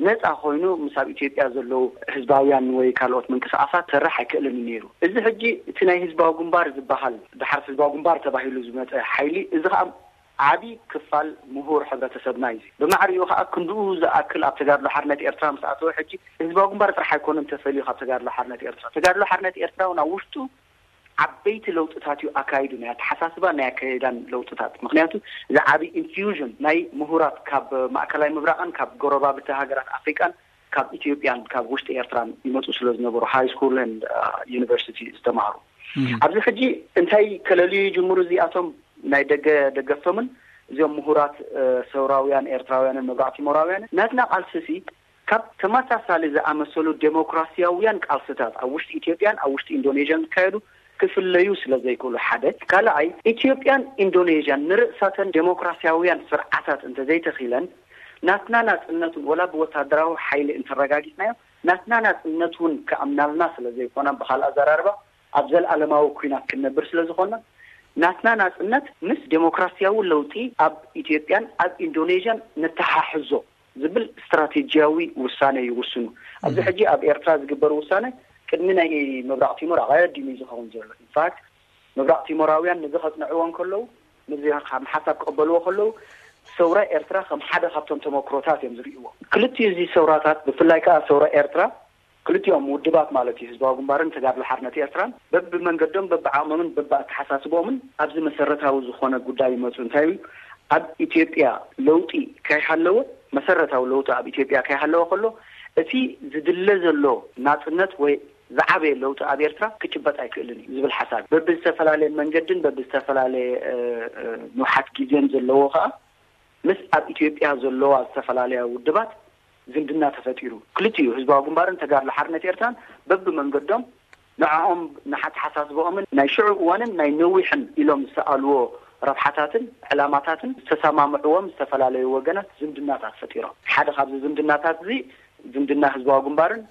ነፃ ኮይኑ ምስ ኣብ ኢትዮጵያ ዘለዉ ህዝባውያን ወይ ካልኦት ምንቅስቃሳት ክሰርሕ ኣይክእልን እዩ ነይሩ። እዚ ሕጂ እቲ ናይ ህዝባዊ ግንባር ዝበሃል ድሓር ህዝባዊ ግንባር ተባሂሉ ዝመፀ ሓይሊ እዚ ከዓ ዓብዪ ክፋል ምሁር ሕብረተሰብና እዩ። ብማዕሪኡ ከዓ ክንድኡ ዝኣክል ኣብ ተጋድሎ ሓርነት ኤርትራ ምስ ኣተወ ሕጂ ህዝባዊ ግንባር ጥራሕ ኣይኮነን ተፈልዩ ካብ ተጋድሎ ሓርነት ኤርትራ። ተጋድሎ ሓርነት ኤርትራ እውን ኣብ ውሽጡ ዓበይቲ ለውጥታት እዩ ኣካይዱ፣ ናይ ኣተሓሳስባን ናይ ኣካይዳን ለውጥታት። ምክንያቱ እዚ ዓብዪ ኢንፊውዥን ናይ ምሁራት ካብ ማእከላይ ምብራቕን ካብ ጎረባብቲ ሃገራት ኣፍሪቃን ካብ ኢትዮጵያን ካብ ውሽጢ ኤርትራን ይመፁ ስለ ዝነበሩ ሃይ ስኩልን ዩኒቨርሲቲ ዝተማሃሩ ኣብዚ ሕጂ እንታይ ከለልዩ ይጅምሩ እዚኣቶም ናይ ደገ ደገፍቶምን እዚኦም ምሁራት ሰውራውያን ኤርትራውያንን ምብራቕ ቲሞራውያንን ናትና ቃልስሲ ካብ ተመሳሳሊ ዝኣመሰሉ ዴሞክራሲያውያን ቃልስታት ኣብ ውሽጢ ኢትዮጵያን ኣብ ውሽጢ ኢንዶኔዥያን ዝካየዱ ክፍለዩ ስለ ዘይክእሉ ሓደ። ካልኣይ፣ ኢትዮጵያን ኢንዶኔዥያን ንርእሳተን ዴሞክራሲያውያን ስርዓታት እንተዘይተኺለን ናትና ናጽነት እውን ወላ ብወታደራዊ ሓይሊ እንተረጋጊጽናዮ ናትና ናጽነት እውን ክኣምናልና ስለ ዘይኮና ብኻልእ ኣዘራርባ ኣብ ዘልኣለማዊ ኲናት ክንነብር ስለ ዝኾና ናትና ናጽነት ምስ ዴሞክራሲያዊ ለውጢ ኣብ ኢትዮጵያን ኣብ ኢንዶኔዥያን ነተሓሕዞ ዝብል ስትራቴጂያዊ ውሳነ ይውስኑ። ኣብዚ ሕጂ ኣብ ኤርትራ ዝግበር ውሳነ ቅድሚ ናይ ምብራቕ ቲሞር ኣቐዲሙ እዩ ዝኸውን ዘሎ። ኢንፋክት ምብራቕ ቲሞራውያን ነዚ ከጽንዕዎ እንከለዉ፣ ነዚ ከም ሓሳብ ክቕበልዎ ከለዉ፣ ሰውራ ኤርትራ ከም ሓደ ካብቶም ተመክሮታት እዮም ዝርእይዎ። ክልቲኡ እዚ ሰውራታት፣ ብፍላይ ከኣ ሰውራ ኤርትራ፣ ክልቲኦም ውድባት ማለት እዩ፣ ህዝባዊ ግንባርን ተጋድሎ ሓርነት ኤርትራን፣ በብመንገዶም፣ በብዓቕሞምን በብኣተሓሳስቦምን ኣብዚ መሰረታዊ ዝኾነ ጉዳይ ይመጹ። እንታይ እዩ? ኣብ ኢትዮጵያ ለውጢ ከይሃለወ፣ መሰረታዊ ለውጢ ኣብ ኢትዮጵያ ከይሃለወ ከሎ፣ እቲ ዝድለ ዘሎ ናጽነት ወይ ዝዓበየ ለውጢ ኣብ ኤርትራ ክጭበጥ ኣይክእልን እዩ ዝብል ሓሳብ፣ በብዝተፈላለየ መንገድን በብዝተፈላለየ፣ እ፣ እ፣ ንውሓት ግዜን ዘለዎ ከኣ፣ ምስ ኣብ ኢትዮጵያ ዘለዋ ዝተፈላለያ ውድባት ዝምድና ተፈጢሩ። ክልቲኡ ህዝባዊ ግንባርን ተጋድሎ ሓርነት ኤርትራን በብመንገዶም ንዕኦም ንሓተሓሳስባኦምን ናይ ሽዑ እዋንን ናይ ነዊሕን ኢሎም ዝሰኣልዎ ረብሓታትን ዕላማታትን ዝተሰማምዕዎም ዝተፈላለዩ ወገናት ዝምድናታት ፈጢሮም። ሓደ ካብዚ ዝምድናታት እዚ ዝምድና ህዝባዊ ግንባርን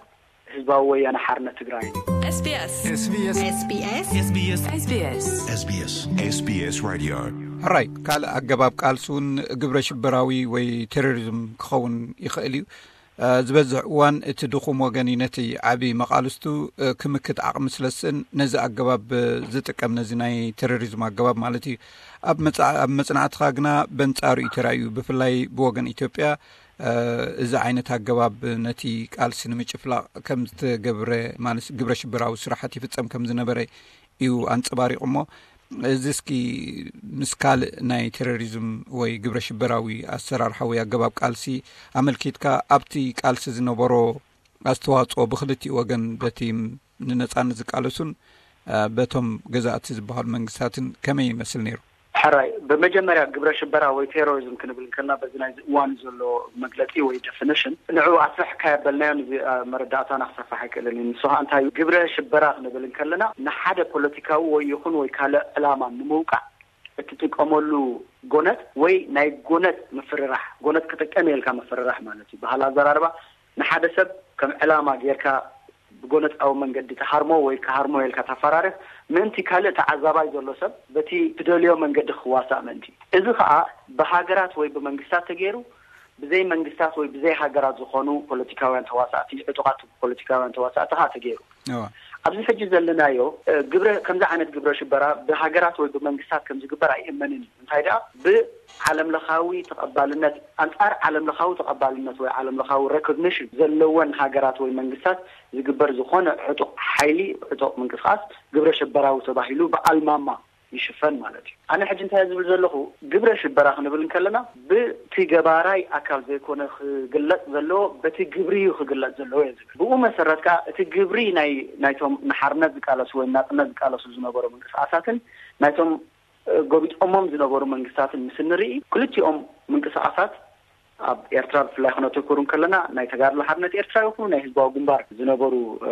ህዝባዊ ወያነ ሓርነት ትግራይን እዩ። SBS SBS SBS SBS SBS SBS Radio. ሕራይ፣ ካልእ ኣገባብ ቃልሲ እውን ግብረ ሽበራዊ ወይ ቴሮሪዝም ክኸውን ይኽእል እዩ። ዝበዝሕ እዋን እቲ ድኹም ወገን እዩ ነቲ ዓቢ መቓልስቱ ክምክት ዓቕሚ ስለ ዝስእን፣ ነዚ ኣገባብ ዝጥቀም፣ ነዚ ናይ ቴሮሪዝም ኣገባብ ማለት እዩ። ኣብ መጽ-፣ ኣብ መጽናዕትኻ ግና በንጻሩ እዩ ተራእዩ። ብፍላይ ብወገን ኢትዮጵያ እዚ ዓይነት ኣገባብ ነቲ ቃልሲ ንምጭፍላቕ ከም ዝተገብረ፣ ማለት ግብረ ሽበራዊ ስራሓት ይፍጸም ከም ዝነበረ እዩ ኣንጸባሪቑ። እሞ እዚ እስኪ ምስ ካልእ ናይ ቴሮሪዝም ወይ ግብረ ሽበራዊ ኣሰራርሓ ወይ ኣገባብ ቃልሲ ኣመልኪትካ፣ ኣብቲ ቃልሲ ዝነበሮ ኣስተዋጽኦ ብክልቲኡ ወገን፣ በቲ ንነጻነት ዝቃለሱን፣ እ፣ በቶም ገዛእቲ ዝበሃሉ መንግስታትን ከመይ ይመስል ነይሩ? ሕራይ፣ ብመጀመርያ ግብረ ሽበራ ወይ ቴሮሪዝም ክንብል እንከልና፣ በዚ ናይዚ እዋን ዘሎ መግለጺ ወይ ዴፊኒሽን፣ ንዕኡ ኣስፍሕ ካየበልናዮ፣ ንዚ፣ እ፣ መረዳእታና ክሰፍሕ ኣይክእልን እዩ። ንሱ ኸኣ እንታይ እዩ? ግብረ ሽበራ ክንብል እንከለና፣ ንሓደ ፖለቲካዊ ወይ ይኹን ወይ ካልእ ዕላማ ንምውቃዕ እትጥቀመሉ ጎነጽ ወይ ናይ ጎነጽ ምፍርራሕ፣ ጎነጽ ክጥቀም እየ ኢልካ ምፍርራሕ ማለት እዩ። ባህሊ ኣዘራርባ፣ ንሓደ ሰብ ከም ዕላማ ጌርካ ብጎነጻዊ መንገዲ ትሃርሞ ወይ ክሃርሞ ኢልካ ተፈራርህ፣ ምእንቲ ካልእ ተዓዛባይ ዘሎ ሰብ በቲ ትደልዮ መንገዲ ክዋሳእ ምእንቲ። እዚ ኸኣ ብሃገራት ወይ ብመንግስታት ተገይሩ፣ ብዘይ መንግስታት ወይ ብዘይ ሃገራት ዝኾኑ ፖለቲካውያን ተዋሳእቲ፣ ዕጡቓት ፖለቲካውያን ተዋሳእቲ ኸኣ ተገይሩ። እዋ። ኣብዚ ሕጂ ዘለናዮ፣ እ፣ ግብረ፣ ከምዚ ዓይነት ግብረ ሽበራ ብሃገራት ወይ ብመንግስታት ከም ዝግበር ኣይእመንን እዩ። እንታይ ደኣ፣ ብዓለም ለኻዊ ተቐባልነት፣ ኣንጻር ዓለም ለኻዊ ተቐባልነት ወይ ዓለም ለኻዊ ሬኮግኒሽን ዘለወን ሃገራት ወይ መንግስታት ዝግበር ዝኾነ ዕጡቕ ሓይሊ፣ ዕጡቕ ምንቅስቓስ ግብረ ሽበራዊ ተባሂሉ ብኣልማማ ይሽፈን ማለት እዩ። ኣነ ሕጂ እንታይ ዝብል ዘለኹ፣ ግብረ ሽበራ ክንብል እንከለና፣ ብቲ ገባራይ ኣካል ዘይኮነ ክግለጽ ዘለዎ፣ በቲ ግብሪ እዩ ክግለጽ ዘለዎ እየ ዝብል። ብኡ መሰረት ከኣ፣ እቲ ግብሪ ናይ፣ ናይቶም ንሓርነት ዝቃለሱ ወይ ናጽነት ዝቃለሱ ዝነበሩ ምንቅስቓሳትን ናይቶም፣ እ፣ ጎቢጦሞም ዝነበሩ መንግስታትን ምስ እንርኢ፣ ክልቲኦም ምንቅስቓሳት ኣብ ኤርትራ ብፍላይ ክነተኩር እንከለና፣ ናይ ተጋድሎ ሓርነት ኤርትራ ይኹኑ ናይ ህዝባዊ ግንባር ዝነበሩ፣ እ፣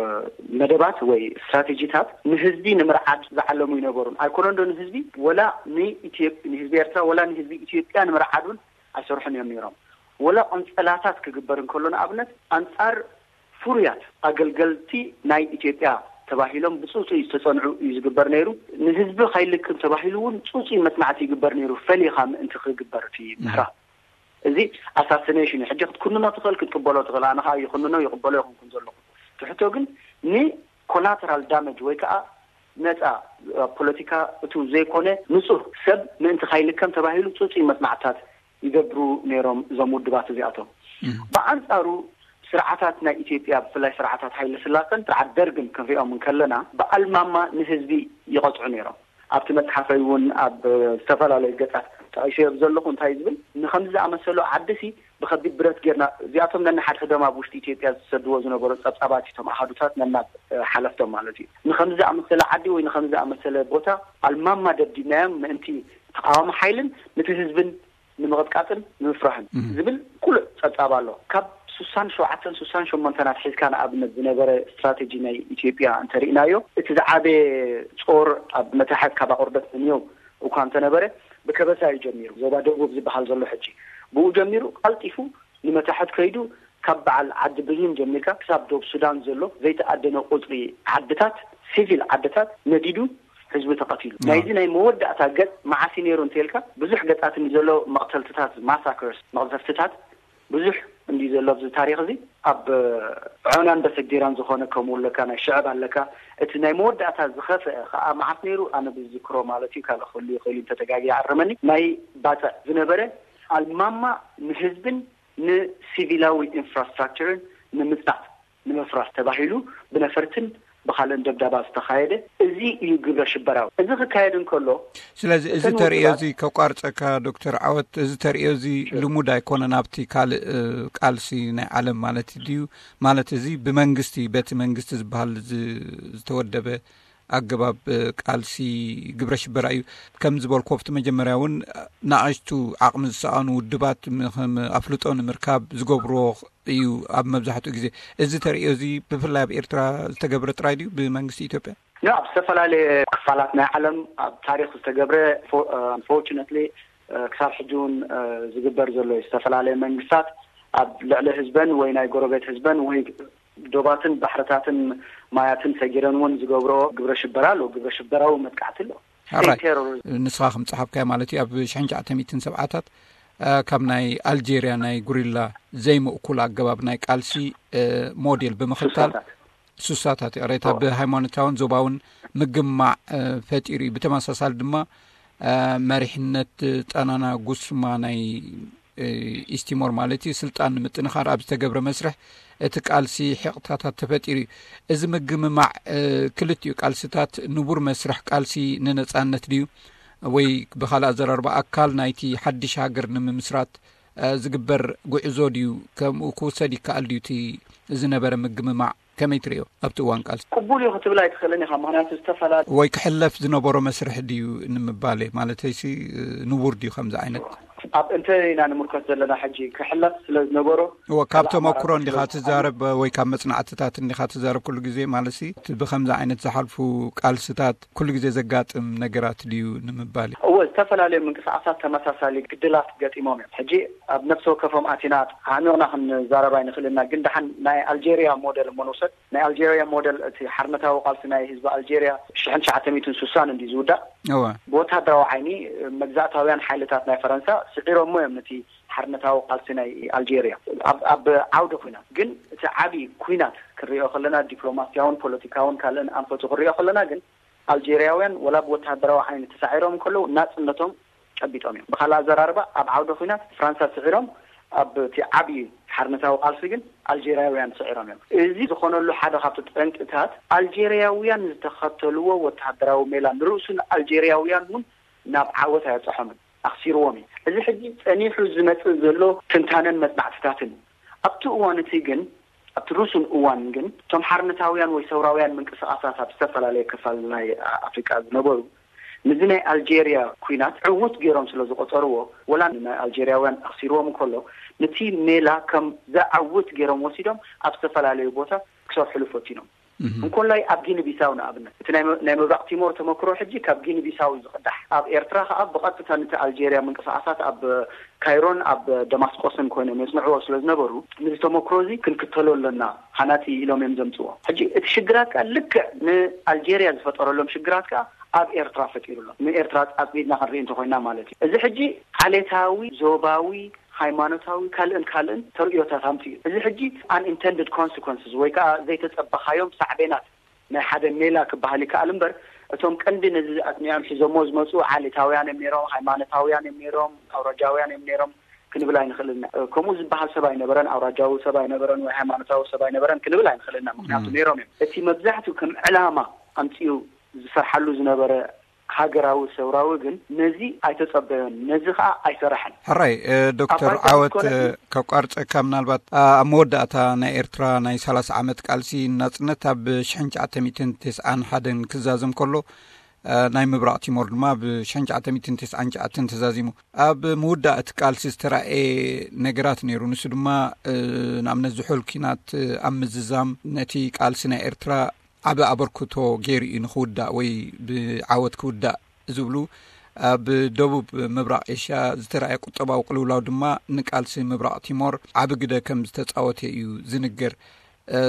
መደባት ወይ ስትራቴጂታት ንህዝቢ ንምርዓድ ዝዓለሙ ይነበሩን ኣይኮነን ዶ? ንህዝቢ ወላ ንኢትዮ-፣ ንህዝቢ ኤርትራ ወላ ንህዝቢ ኢትዮጵያ ንምርዓድ እውን ኣይሰርሑን እዮም ነይሮም። ወላ ቆንጸላታት ክግበር እንከሎ፣ ንኣብነት፣ ኣንጻር ፍሩያት ኣገልገልቲ ናይ ኢትዮጵያ ተባሂሎም ብጽጹይ ዝተጸንዑ እዩ ዝግበር ነይሩ። ንህዝቢ ከይልክም ተባሂሉ እውን ጽጹይ መጽናዕቲ ይግበር ነይሩ፣ ፈሊኻ ምእንቲ ክግበር እቲ ምህራ። እዚ ኣሳሲኔሽን እዩ። ሕጂ ክትኩንኖ ትኽእል፣ ክትቅበሎ ትኽእል። ኣነ ኸኣ ይኹንኖ ይቕበሎ ይኹንኩን ዘለኹ። እቲ ሕቶ ግን ንኮላተራል ዳመጅ ወይ ከኣ ነጻ፣ ኣብ ፖለቲካ እቱ ዘይኮነ ንጹህ ሰብ ምእንቲ ከይልከም ተባሂሉ ጽጹይ መጽናዕትታት ይገብሩ ነይሮም እዞም ውድባት እዚኣቶም። እም። ብኣንጻሩ ስርዓታት ናይ ኢትዮጵያ፣ ብፍላይ ስርዓታት ሃይለ ስላሰን ስርዓት ደርግን ክንሪኦም እንከለና፣ ብኣልማማ ንህዝቢ ይቐጽዑ ነይሮም። ኣብቲ መጽሓፈይ እውን ኣብ ዝተፈላለዩ ገጻት ጠቒሰዮ ዘለኹ። እንታይ ዝብል፣ ንኸምዚ ዝኣመሰሉ ዓድሲ ብኸቢድ ብረት ጌርና፣ እዚኣቶም ነንሓድሕዶም ኣብ ውሽጢ ኢትዮጵያ ዝሰድዎ ዝነበሩ ጸብጻባት፣ እቶም ኣሃዱታት ነናብ፣ እ፣ ሓለፍቶም ማለት እዩ። ንኸምዚ ዝኣመሰለ ዓዲ ወይ ንኸምዚ ዝኣመሰለ ቦታ ኣልማማ ደብዲብናዮም ምእንቲ ተቓዋሚ ሓይልን ነቲ ህዝብን ንምቕጥቃጥን ንምፍራህን እም። ዝብል ቁሉዕ ጸብጻብ ኣሎ። ካብ ስሳን ሸውዓተን ስሳን ሸሞንተን ኣትሒዝካ ንኣብነት ዝነበረ ስትራቴጂ ናይ ኢትዮጵያ እንተሪእናዮ፣ እቲ ዝዓበየ ጾር ኣብ መታሕት ካብ ኣቑርደት ንንዮው እኳ እንተነበረ፣ ብከበሳ እዩ ጀሚሩ። ዞባ ደቡብ ዝበሃል ዘሎ ሕጂ፣ ብኡ ጀሚሩ ቀልጢፉ ንመታሕት ከይዱ፣ ካብ በዓል ዓዲ ብሪም ጀሚርካ ክሳብ ዶብ ሱዳን ዘሎ ዘይተኣደነ ቁጽሪ ዓድታት፣ ሲቪል ዓድታት ነዲዱ፣ ህዝቢ ተቐቲሉ። ናይዚ ናይ መወዳእታ ገጽ መዓስ እዩ ነይሩ እንተልካ፣ ብዙሕ ገጻት ንዘሎ መቕተልትታት፣ ማሳከርስ፣ መቕዘፍትታት፣ ብዙሕ እንዲ ዘሎ ኣብዚ ታሪኽ እዚ ኣብ ዖናን በሰጊራን ዝኾነ ከምኡ ኣለካ፣ ናይ ሽዕብ ኣለካ። እቲ ናይ መወዳእታ ዝኸፍአ ከዓ መዓስ ነይሩ? ኣነ ብዝዝክሮ ማለት እዩ፣ ካልእ ክህሉ ይኽእል እዩ፣ እንተተጋግየ ኣርመኒ። ናይ ባፅዕ ዝነበረ ኣልማማ ንህዝብን ንሲቪላዊ ኢንፍራስትራክቸርን ንምፅናት ንምፍራስ ተባሂሉ ብነፈርትን ብኻልእን ደብዳባ ዝተኻየደ፣ እዚ እዩ ግብረ ሽበራዊ። እዚ ክካየድ እንከሎ ስለዚ እዚ እተን ተርእዮ ውድባት እዚ ከቋርፀካ ዶክተር ዓወት፣ እዚ ተርእዮ እዚ ልሙድ ኣይኮነን ኣብቲ ካልእ ቃልሲ ናይ ዓለም ማለት ድዩ? ማለት እዚ ብመንግስቲ በቲ መንግስቲ ዝበሃል ዝተወደበ ኣገባብ ቃልሲ ግብረ ሽበራ እዩ። ከም ዝበልኮ ኣብቲ መጀመርያ እውን ንኣሽቱ ዓቕሚ ዝሰኣኑ ውድባት ከም ኣፍልጦ ንምርካብ ዝገብርዎ እዩ። ኣብ መብዛሕትኡ ግዜ እዚ ተርእዮ እዚ ብፍላይ ኣብ ኤርትራ ዝተገብረ ጥራይ ድዩ ብመንግስቲ ኢትዮጵያ? ኣብ ዝተፈላለየ ክፋላት ናይ ዓለም ኣብ ታሪክ ዝተገብረ፣ ኣንፎርቹነትሊ ክሳብ ሕጂ እውን ዝግበር ዘሎ እዩ። ዝተፈላለየ መንግስታት ኣብ ልዕሊ ህዝበን ወይ ናይ ጎረቤት ህዝበን ወይ ዶባትን ባሕርታትን ማያትን ሰጊረን እውን ዝገብሮ ግብረ ሽበራ ኣሎ፣ ግብረ ሽበራዊ መጥቃዕቲ ኣሎ። ንስኻ ከም ጸሓፍካዮ ማለት እዩ፣ ኣብ ሽሕን ትሽዓተ ሚእትን ሰብዓታት ካብ ናይ ኣልጄርያ ናይ ጉሪላ ዘይምእኩል ኣገባብ ናይ ቃልሲ ሞዴል ብምኽታል ሱሳታት ይቕሬታ ብሃይማኖታውን ዞባውን ምግማዕ ፈጢሩ እዩ። ብተመሳሳሊ ድማ መሪሕነት ጣናና ጉስማ ናይ ኢስቲሞር ማለት እዩ ስልጣን ንምጥንኻር ኣብ ዝተገብረ መስርሕ እቲ ቃልሲ ሕቕታታት ተፈጢሩ እዩ። እዚ ምግምማዕ ክልቲኡ ቃልስታት ንቡር መስርሕ ቃልሲ ንነጻነት ድዩ ወይ ብኻልእ ኣዘራርባ ኣካል ናይቲ ሓድሽ ሃገር ንምምስራት ዝግበር ጉዕዞ ድዩ? ከምኡ ክውሰድ ይከኣል ድዩ እቲ ዝነበረ ምግምማዕ? ከመይ ትርእዮ ኣብቲ እዋን ቃልሲ? ቅቡል እዩ ክትብል ኣይትኽእልን ኢኻ። ምኽንያቱ ዝተፈላለዩ ወይ ክሕለፍ ዝነበሮ መስርሕ ድዩ ንምባል እየ። ማለተይሲ ንቡር ድዩ ከምዚ ዓይነት? ኣብ እንተ ኢና ንምልከት ዘለና ሕጂ ክሕለፍ ስለ ዝነበሮ እወ፣ ካብ ተመክሮ እንዲኻ ትዛረብ ወይ ካብ መጽናዕትታት እንዲኻ ትዛረብ ኩሉ ግዜ ማለትሲ እቲ ብከምዚ ዓይነት ዝሓልፉ ቃልስታት ኩሉ ግዜ ዘጋጥም ነገራት ድዩ ንምባል እዩ። እወ፣ ዝተፈላለዩ ምንቅስቃሳት ተመሳሳሊ ግድላት ገጢሞም እዮም። ሕጂ ኣብ ነፍሲ ወከፎም ኣቲና ኣዕሚቕና ክንዛረብ ኣይንኽእልና፣ ግን ደሓን ናይ ኣልጄሪያ ሞዴል እሞ ንውሰድ። ናይ ኣልጄሪያ ሞዴል እቲ ሓርነታዊ ቃልሲ ናይ ህዝቢ ኣልጄሪያ ሽሕን ትሽዓተ ሚእትን ስሳን እንዲ ዝውዳእ እወ። ብወታደራዊ ዓይኒ መግዛእታውያን ሓይልታት ናይ ፈረንሳ ስዒሮሞ እዮም ነቲ ሓርነታዊ ቃልሲ ናይ ኣልጄሪያ። ኣብ፣ ኣብ ዓውዲ ኩናት ግን እቲ ዓቢ ኩናት ክንሪኦ ከለና ዲፕሎማሲያውን ፖለቲካውን ካልእን ኣንፈቱ ክንሪኦ ከለና ግን ኣልጄሪያውያን ወላ ብወታደራዊ ዓይኒ ተሳዒሮም ከለዉ ናጽነቶም ጨቢጦም እዮም። ብኻልእ ኣዘራርባ ኣብ ዓውዲ ኩናት ፍራንሳ ስዒሮም ኣብ እቲ ዓቢ ሓርነታዊ ቃልሲ ግን ኣልጄሪያውያን ስዒሮም እዮም። እዚ ዝኾነሉ ሓደ ካብቲ ጠንቅታት ኣልጄሪያውያን ዝተኸተልዎ ወታደራዊ ሜላ ንርእሱ ንኣልጄሪያውያን እውን ናብ ዓወት ኣየብጽሖምን፣ ኣኽሲርዎም እዩ። እዚ ሕጂ ጸኒሑ ዝመጽእ ዘሎ ትንታነን መጽናዕትታትን ኣብቲ እዋን እቲ ግን ኣብቲ ርሱን እዋን ግን እቶም ሓርነታውያን ወይ ሰውራውያን ምንቅስቃሳት ኣብ ዝተፈላለየ ክፋል ናይ ኣፍሪቃ ዝነበሩ ነዚ ናይ ኣልጄሪያ ኩናት ዕውት ገይሮም ስለ ዝቆጸርዎ ወላ ናይ ኣልጄሪያውያን ኣኽሲርዎም እንከሎ ነቲ ሜላ ከም ዘዕውት ገይሮም ወሲዶም ኣብ ዝተፈላለዩ ቦታ ክሰርሕሉ ፈቲኖም። እንኮላይ ኣብ ጊኒ ቢሳው ንኣብነት እቲ ናይ ምብራቕ ቲሞር ተመክሮ ሕጂ ካብ ጊኒ ቢሳው እዩ ዝቕዳሕ። ኣብ ኤርትራ ከዓ ብቐጥታ ነቲ ኣልጄሪያ ምንቅስቃሳት ኣብ ካይሮን ኣብ ደማስቆስን ኮይኖም የጽንዕዎ ስለ ዝነበሩ ነዚ ተመክሮ እዚ ክንክተሎ ኣለና ሃናጺ ኢሎም እዮም ዘምጽዎ። ሕጂ እቲ ሽግራት ከዓ ልክዕ ንኣልጄሪያ ዝፈጠረሎም ሽግራት ከዓ ኣብ ኤርትራ ፈጢሩሎም። ንኤርትራ ኣጽቢድና ክንርኢ እንተኮይና ማለት እዩ። እዚ ሕጂ ዓሌታዊ ዞባዊ ሃይማኖታዊ ካልእን ካልእን ተርእዮታት ኣምፅኡ። እዚ ሕጂ unintended consequences ወይ ከዓ ዘይተፀበኻዮም ሳዕቤናት ናይ ሓደ ሜላ ክበሃል ይከኣል እምበር እቶም ቀንዲ ነዚ ኣጥኒዖም ሒዞሞ ዝመፁ ዓሌታውያን እዮም ነይሮም፣ ሃይማኖታውያን እዮም ነይሮም፣ ኣውራጃውያን እዮም ነይሮም ክንብል ኣይንኽእልን። ከምኡ ዝበሃል ሰብ ኣይነበረን፣ ኣውራጃዊ ሰብ ኣይነበረን ወይ ሃይማኖታዊ ሰብ ኣይነበረን ክንብል ኣይንኽእልና። ምክንያቱ ነይሮም እዮም። እቲ መብዛሕትኡ ከም ዕላማ ኣምፅኡ ዝሰርሓሉ ዝነበረ ሃገራዊ ሰውራዊ ግን ነዚ ኣይተጸበዮን፣ ነዚ ኸኣ ኣይሰራሐን። ሕራይ ዶክተር ዓወት፣ ከቋርጸካ ምናልባት ኣብ መወዳእታ ናይ ኤርትራ ናይ ሰላሳ ዓመት ቃልሲ ናጽነት ኣብ ሽሕን ትሽዓተ ሚእትን ተስዓን ሓደን ክዛዘም ከሎ ናይ ምብራቕ ቲሞር ድማ ብ ሽሕን ትሽዓተ ሚእትን ተስዓን ትሽዓተን ተዛዚሙ። ኣብ ምውዳእ እቲ ቃልሲ ዝተራእየ ነገራት ነይሩ። ንሱ ድማ ንኣብነት ዝሑል ኪናት ኣብ ምዝዛም ነቲ ቃልሲ ናይ ኤርትራ ዓቢ ኣበርክቶ ገይሩ እዩ ንኽውዳእ ወይ ብዓወት ክውዳእ ዝብሉ ኣብ ደቡብ ምብራቕ ኤሽያ ዝተራእየ ቁጠባዊ ቅልውላው ድማ ንቃልሲ ምብራቕ ቲሞር ዓቢ ግደ ከም ዝተጻወተ እዩ ዝንገር።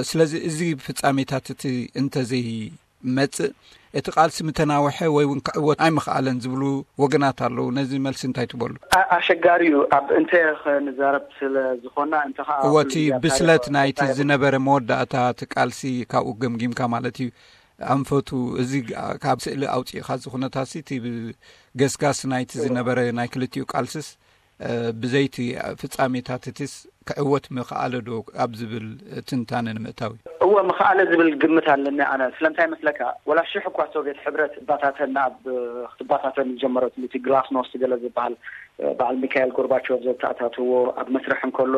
ስለዚ እዚ ፍጻሜታት እቲ እንተዘይ መጽእ፣ እቲ ቃልሲ ምተናወሐ ወይ እውን ክዕወት ኣይምኽኣለን ዝብሉ ወገናት ኣለዉ። ነዚ መልሲ እንታይ ትበሉ? ኣሸጋሪ እዩ። ኣብ እንተ ክንዛረብ ስለ ዝኾና እንተ ኸዓ እቲ ብስለት ናይቲ ዝነበረ መወዳእታ እቲ ቃልሲ ካብኡ ገምጊምካ ማለት እዩ። ኣንፈቱ እዚ ካብ ስእሊ ኣውፅእካ እዚ ኩነታት እቲ ገስጋስ ናይቲ ዝነበረ ናይ ክልቲኡ ቃልስስ ብዘይቲ ፍጻሜታት እቲስ ክዕወት ምኽኣለ ዶ ኣብ ዝብል ትንታነ ንምእታው እዩ። እወ፣ ምኽኣለ ዝብል ግምት ኣለኒ ኣነ። ስለምንታይ መስለካ? ወላ ሽሕ እኳ ሶቪየት ሕብረት ባታተን ኣብ ክትባታተን ዝጀመረት እቲ ግላስኖስት ገለ ዝበሃል በዓል ሚካኤል ጎርባቾቭ ዘተኣታትዎ ኣብ መስርሕ እንከሎ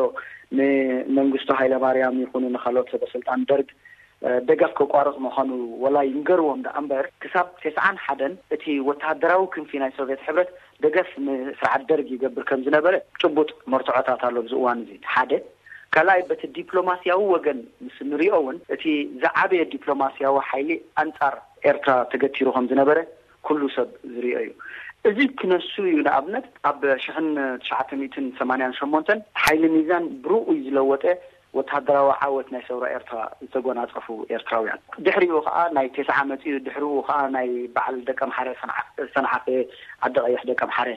ንመንግስቱ ሃይለማርያም ይኹኑ ንካልኦት ሰበ ስልጣን ደርግ ደገፍ ከቋርጽ ምዃኑ ወላ ይንገርዎም ደኣ እምበር፣ ክሳብ ተስዓን ሓደን እቲ ወተሃደራዊ ክንፊ ናይ ሶቪየት ሕብረት ደገፍ ንስርዓት ደርግ ይገብር ከም ዝነበረ ጭቡጥ መርትዖታት ኣሎ ኣብዚ እዋን እዚ። ሓደ። ካልኣይ፣ በቲ ዲፕሎማስያዊ ወገን ምስ ንሪኦ እውን እቲ ዝዓበየ ዲፕሎማስያዊ ሓይሊ ኣንጻር ኤርትራ ተገቲሩ ከም ዝነበረ ኩሉ ሰብ ዝሪኦ እዩ። እዚ ክነሱ እዩ። ንኣብነት ኣብ ሽሕን ትሽዓተ ሚእትን ሰማንያን ሸሞንተን ሓይሊ ሚዛን ብርኡይ ዝለወጠ ወተሃደራዊ ዓወት ናይ ሰውራ ኤርትራ ዝተጎናጸፉ ኤርትራውያን። ድሕሪኡ ከኣ ናይ ቴስዓ መጺኡ፣ ድሕሪኡ ከኣ ናይ በዓል ደቀምሓረ ሰንዓ-፣ ሰንዓፈ ዓዲ ቀይሕ ደቀምሓረ፣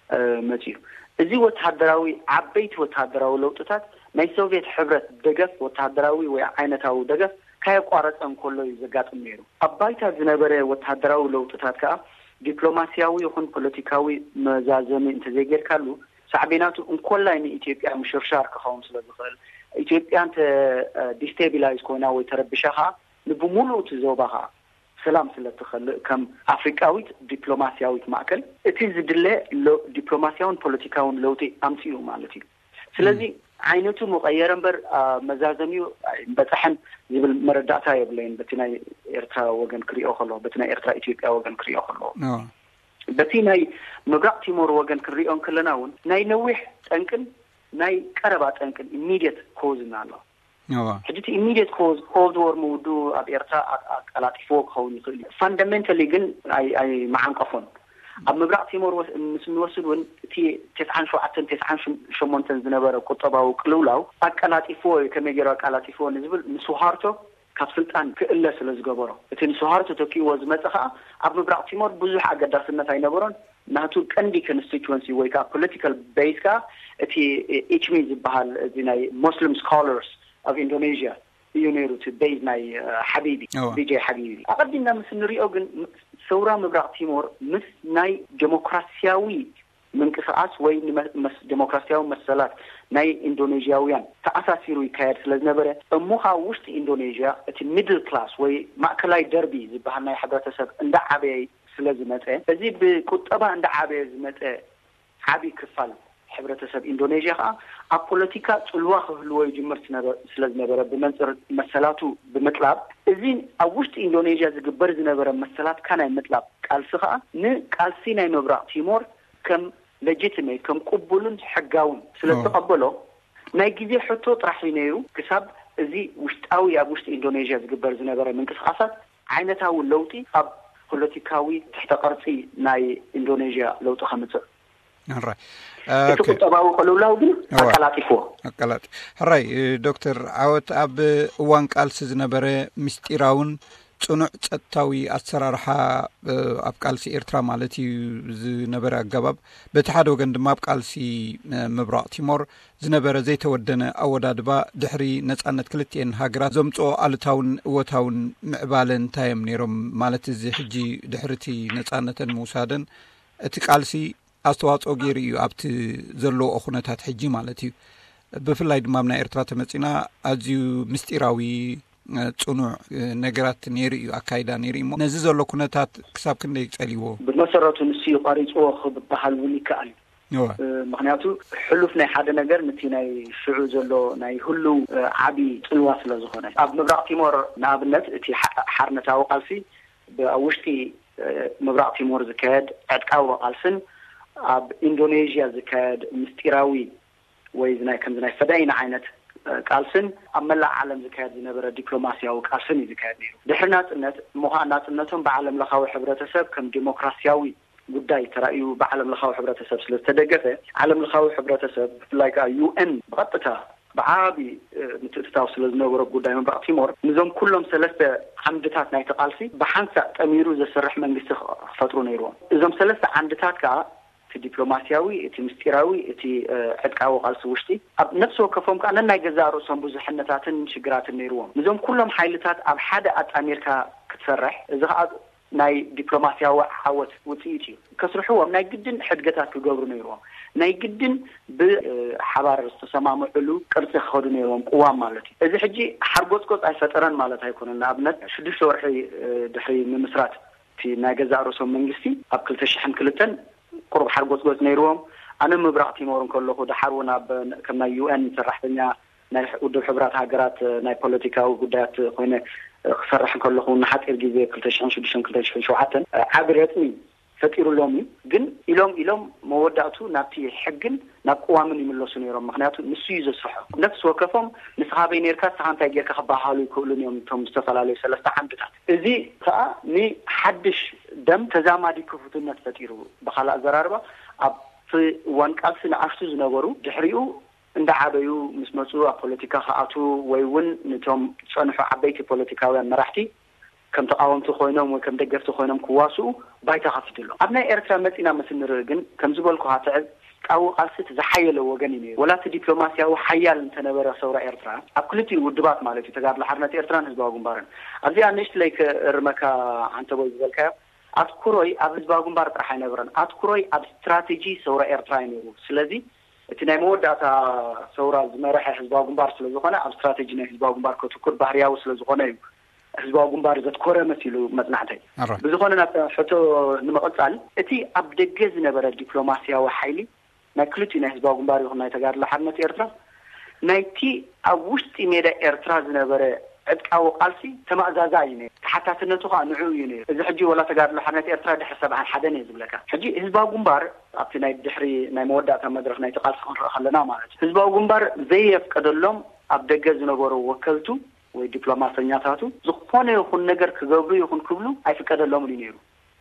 እ፣ መጺኡ። እዚ ወተሃደራዊ፣ ዓበይቲ ወተሃደራዊ ለውጥታት ናይ ሶቪየት ሕብረት ደገፍ፣ ወተሃደራዊ ወይ ዓይነታዊ ደገፍ ካየቋረጸ እንከሎ እዩ ዘጋጥም ነይሩ። ኣብ ባይታ ዝነበረ ወተሃደራዊ ለውጥታት ከኣ ዲፕሎማስያዊ ይኹን ፖለቲካዊ መዛዘሚ እንተዘይጌርካሉ፣ ሳዕቤናቱ እንኮላይ ንኢትዮጵያ ምሽርሻር ክኸውን ስለ ዝኽእል፣ ኢትዮጵያ እንተ ዲስቴቢላይዝ ኮይና ወይ ተረቢሻ ከኣ፣ ንብሙሉኡ እቲ ዞባ ከኣ ሰላም ስለ ትኸልእ፣ ከም ኣፍሪቃዊት ዲፕሎማስያዊት ማእከል እቲ ዝድለ ሎ-፣ ዲፕሎማስያውን ፖለቲካውን ለውጢ ኣምጺኡ ማለት እዩ። ስለዚ ዓይነቱ ምቐየረ እምበር፣ ኣ፣ መዛዘሚኡ ኣይበጽሐን ዝብል መረዳእታ የብለይን። በቲ ናይ ኤርትራ ወገን ክሪኦ ከሎ፣ በቲ ናይ ኤርትራ ኢትዮጵያ ወገን ክሪኦ ከሎ፣ እዎ። በቲ ናይ ምብራቕ ቲሞር ወገን ክንሪኦ እንከለና እውን ናይ ነዊሕ ጠንቅን ናይ ቀረባ ጠንቅን ኢሚዲየት ኮዝን ኣሎ። እዎ። ሕጂ እቲ ኢሚዲየት ኮዝ፣ ኮልድ ዎር ምውድኡ ኣብ ኤርትራ ኣ-፣ ኣቀላጢፍዎ ክኸውን ይኽእል እዩ። ፋንዳሜንታሊ ግን ኣይ-፣ ኣይመዓንቀፎን። ኣብ ምብራቕ ቲሞር ወስ-፣ ምስ እንወስድ እውን እቲ ተስዓን ሸውዓተን ተስዓን ሸሞንተን ዝነበረ ቁጠባዊ ቅልውላው ኣቀላጢፍዎ እዩ። ከመይ ገይሩ ኣቀላጢፍዎ ንዝብል ንሱሃርቶ ካብ ስልጣን ክእለ ስለ ዝገበሮ፣ እቲ ንሱሃርቶ ተኪእዎ ዝመጸ ከኣ ኣብ ምብራቕ ቲሞር ብዙሕ ኣገዳስነት ኣይነበሮን። ናቱ ቀንዲ ኮንስቲትወንሲ ወይ ከኣ ፖለቲካል ቤዝ ከኣ እቲ ኢችሚ ዝበሃል፣ እዚ ናይ ሞስሊም ስኮለርስ ኦፍ ኢንዶኔዥያ እዩ ነይሩ፣ እቲ ቤዝ ናይ፣ እ፣ ሓቢቢ፣ እዋ። ቢጄ ሓቢቢ። ኣቐዲምና ምስ እንሪኦ ግን፣ ም-፣ ሰውራ ምብራቕ ቲሞር ምስ ናይ ዴሞክራስያዊ ምንቅስቓስ ወይ ንመ-፣ መስ-፣ ዴሞክራስያዊ መሰላት ናይ ኢንዶኔዥያውያን ተኣሳሲሩ ይካየድ ስለ ዝነበረ፣ እሞ ካብ ውሽጢ ኢንዶኔዥያ እቲ ሚድል ክላስ ወይ ማእከላይ ደርቢ ዝበሃል ናይ ሕብረተሰብ እንዳዓበየ ስለ ዝመጸ፣ እዚ ብቁጠባ እንዳዓበየ ዝመጸ ዓቢ ክፋል ሕብረተሰብ ኢንዶኔዥያ ከኣ ኣብ ፖለቲካ ጽልዋ ክህልዎ ይጅምር ስነበ-፣ ስለ ዝነበረ፣ ብመንጽር መሰላቱ ብምጥላብ፣ እዚ ኣብ ውሽጢ ኢንዶኔዥያ ዝግበር ዝነበረ መሰላትካ ናይ ምጥላብ ቃልሲ ከኣ ንቃልሲ ናይ ምብራቕ ቲሞር ከም ሌጂቲሜት፣ ከም ቅቡልን ሕጋውን ስለ እዎ። ዝተቐበሎ፣ ናይ ግዜ ሕቶ ጥራሕ እዩ ነይሩ፣ ክሳብ እዚ ውሽጣዊ፣ ኣብ ውሽጢ ኢንዶኔዥያ ዝግበር ዝነበረ ምንቅስቓሳት ዓይነታዊ ለውጢ ኣብ ፖለቲካዊ ትሕተ ቅርጺ ናይ ኢንዶኔዥያ ለውጢ ከምጽእ። ሕራይ። እቲ ኦኬ። ቁጠባዊ ቅልውላው ግን እዋ። ኣቀላጢፍዎ። ኣቀላጢ-፣ ሕራይ፣ እ፣ ዶክተር ዓወት፣ ኣብ እዋን ቃልሲ ዝነበረ ምስጢራውን ጽኑዕ ጸጥታዊ ኣሰራርሓ፣ እ፣ ኣብ ቃልሲ ኤርትራ ማለት እዩ ዝነበረ ኣገባብ፣ በቲ ሓደ ወገን ድማ ኣብ ቃልሲ፣ እ፣ ምብራቕ ቲሞር ዝነበረ ዘይተወደነ ኣወዳድባ ድሕሪ ነጻነት ክልቲኤን ሃገራት ዘምጽኦ ኣሉታውን እወታውን ምዕባለ እንታይ እዮም ነይሮም? ማለት እዚ ሕጂ ድሕሪ እቲ ነጻነተን ምውሳደን እቲ ቃልሲ ኣስተዋጽኦ ገይሩ እዩ ኣብቲ ዘለዎ ኩነታት ሕጂ ማለት እዩ። ብፍላይ ድማ ኣብ ናይ ኤርትራ ተመጺና ኣዝዩ ምስጢራዊ፣ እ፣ ጽኑዕ፣ እ፣ ነገራት ነይሩ እዩ፣ ኣካይዳ ነይሩ እዩ። እሞ ነዚ ዘሎ ኩነታት ክሳብ ክንደይ ጸልይዎ? ብመሰረቱ ንሱ እዩ ቀሪጽዎ ክበሃል እውን ይከኣል እዩ። እወ። እ፣ ምኽንያቱ ሕሉፍ ናይ ሓደ ነገር ነቲ ናይ ሽዑ ዘሎ ናይ ህሉው፣ እ፣ ዓቢ ጽልዋ ስለ ዝኾነ። ኣብ ምብራቕ ቲሞር ንኣብነት እቲ ሓ-፣ ሓርነታዊ ቃልሲ ብ-፣ ኣብ ውሽጢ፣ እ፣ ምብራቕ ቲሞር ዝካየድ ዕጥቃዊ ቃልስን ኣብ ኢንዶኔዥያ ዝካየድ ምስጢራዊ ወይ እዚ ናይ ከምዚ ናይ ፈዳይን ዓይነት፣ እ፣ ቃልስን ኣብ መላእ ዓለም ዝካየድ ዝነበረ ዲፕሎማስያዊ ቃልስን እዩ ዝካየድ ነይሩ። ድሕሪ ናጽነት እሞ ኸኣ ናጽነቶም ብዓለም ለኻዊ ሕብረተሰብ ከም ዲሞክራስያዊ ጉዳይ ተራእዩ ብዓለም ለኻዊ ሕብረተሰብ ስለ ዝተደገፈ፣ ዓለም ለኻዊ ሕብረተሰብ ብፍላይ ከኣ ዩ ኤን ብቐጥታ ብዓቢ ምትእትታው ስለ ዝነበሮ ጉዳይ ምብራቕ ቲሞር፣ ንዞም ኩሎም ሰለስተ ዓምድታት ናይቲ ቃልሲ ብሓንሳእ ጠሚሩ ዘስርሕ መንግስቲ ክፈጥሩ ነይርዎም። እዞም ሰለስተ ዓምድታት ከዓ እቲ ዲፕሎማስያዊ፣ እቲ ምስጢራዊ፣ እቲ ዕጥቃዊ ቃልሲ ውሽጢ፣ ኣብ ነፍሲ ወከፎም ከዓ ነናይ ገዛእ ርእሶም ብዙሕነታትን ሽግራትን ነይርዎም። ንዞም ኩሎም ሓይልታት ኣብ ሓደ ኣጣሚርካ ክትሰርሕ፣ እዚ ከዓ ናይ ዲፕሎማስያዊ ዓወት ውፅኢት እዩ። ከስርሕዎም ናይ ግድን ሕድገታት ክገብሩ ነይርዎም። ናይ ግድን ብሓባር ዝተሰማምዕሉ ቅርፂ ክኸዱ ነይርዎም፣ ቅዋም ማለት እዩ። እዚ ሕጂ ሓርጎፅጎፅ ኣይፈጠረን ማለት ኣይኮነን። ንኣብነት ሽዱሽተ ወርሒ ድሕሪ ምምስራት እቲ ናይ ገዛእ ርእሶም መንግስቲ ኣብ ክልተ ሽሕን ክልተን ቁሩብ ሓርጎፅጎፅ ነይርዎም። ኣነ ምብራቕ ቲሞር እንከለኹ፣ ደሓር እውን ኣብ ከም ናይ ዩ ኤን ሰራሕተኛ ናይ ውድብ ሕቡራት ሃገራት ናይ ፖለቲካዊ ጉዳያት ኮይነ ክሰርሕ እንከለኹ፣ ንሓፂር ግዜ ክልተ ሽሕን ሽዱሽተን ክልተ ሽሕን ሸውዓተን ዓቢ ረፅሚ ፈጢሩሎም እዩ። ግን ኢሎም ኢሎም መወዳእቱ ናብቲ ሕግን ናብ ቅዋምን ይምለሱ ነይሮም። ምክንያቱ ንሱ እዩ ዘስርሖ። ነፍሲ ወከፎም ንስኻ በይ ነርካ፣ ንስኻ እንታይ ጌርካ ክበሃሃሉ ይክእሉን እዮም እቶም ዝተፈላለዩ ሰለስተ ዓምድታት። እዚ ከዓ ንሓድሽ ደም ተዛማዲ ክፉትነት ፈጢሩ። ብካልእ ኣዘራርባ፣ ኣብቲ እዋን ቃልሲ ንኣሽቱ ዝነበሩ ድሕሪኡ እንዳዓበዩ ምስ መፁ ኣብ ፖለቲካ ክኣትዉ ወይ እውን ንቶም ዝፀንሑ ዓበይቲ ፖለቲካውያን መራሕቲ ከም ተቃወምቲ ኮይኖም ወይ ከም ደገፍቲ ኮይኖም ክዋስኡ ባይታ ከፊቱ ኣሎ። ኣብ ናይ ኤርትራ መፂና ምስ ንርኢ ግን፣ ከም ዝበልኩኻ፣ እቲ ዕጥቃዊ ቃልሲ እቲ ዝሓየለ ወገን እዩ ነይሩ። ወላ እቲ ዲፕሎማስያዊ ሓያል እንተነበረ ሰውራ ኤርትራ፣ ኣብ ክልቲኡ ውድባት ማለት እዩ፣ ተጋድሎ ሓርነት ኤርትራን ህዝባዊ ግንባርን። ኣብዚኣ ንእሽትለይ ክእርመካ፣ ዓንተቦይ፣ ዝበልካዮ ኣትኩሮይ ኣብ ህዝባዊ ግንባር ጥራሕ ኣይነበረን። ኣትኩሮይ ኣብ ስትራቴጂ ሰውራ ኤርትራ እዩ ነይሩ። ስለዚ እቲ ናይ መወዳእታ ሰውራ ዝመረሐ ህዝባዊ ግንባር ስለ ዝኾነ፣ ኣብ ስትራቴጂ ናይ ህዝባዊ ግንባር ከትኩር ባህርያዊ ስለ ዝኾነ እዩ ህዝባዊ ግንባር ዘትኮረ መሲሉ መጽናዕተይ። ኣረ። ብዝኾነ፣ ናብ ሕቶ ንምቕጻል፣ እቲ ኣብ ደገ ዝነበረ ዲፕሎማስያዊ ሓይሊ ናይ ክልቲኡ ናይ ህዝባዊ ግንባር ይኹን ናይ ተጋድሎ ሓርነት ኤርትራ፣ ናይቲ ኣብ ውሽጢ ሜዳ ኤርትራ ዝነበረ ዕጥቃዊ ቃልሲ ተማእዛዛ እዩ ነይሩ። ተሓታትነቱ ኸኣ ንዕኡ እዩ ነይሩ። እዚ ሕጂ ወላ ተጋድሎ ሓርነት ኤርትራ ድሕሪ ሰብዓን ሓደን እየ ዝብለካ። ሕጂ ህዝባዊ ግንባር ኣብቲ ናይ ድሕሪ ናይ መወዳእታ መድረኽ ናይቲ ቃልሲ ክንርኢ ከለና ማለት እዩ፣ ህዝባዊ ግንባር ዘየፍቀደሎም ኣብ ደገ ዝነበሩ ወከልቱ ወይ ዲፕሎማሰኛታቱ ዝኾነ ይኹን ነገር ክገብሩ ይኹን ክብሉ ኣይፍቀደሎምን እዩ ነይሩ።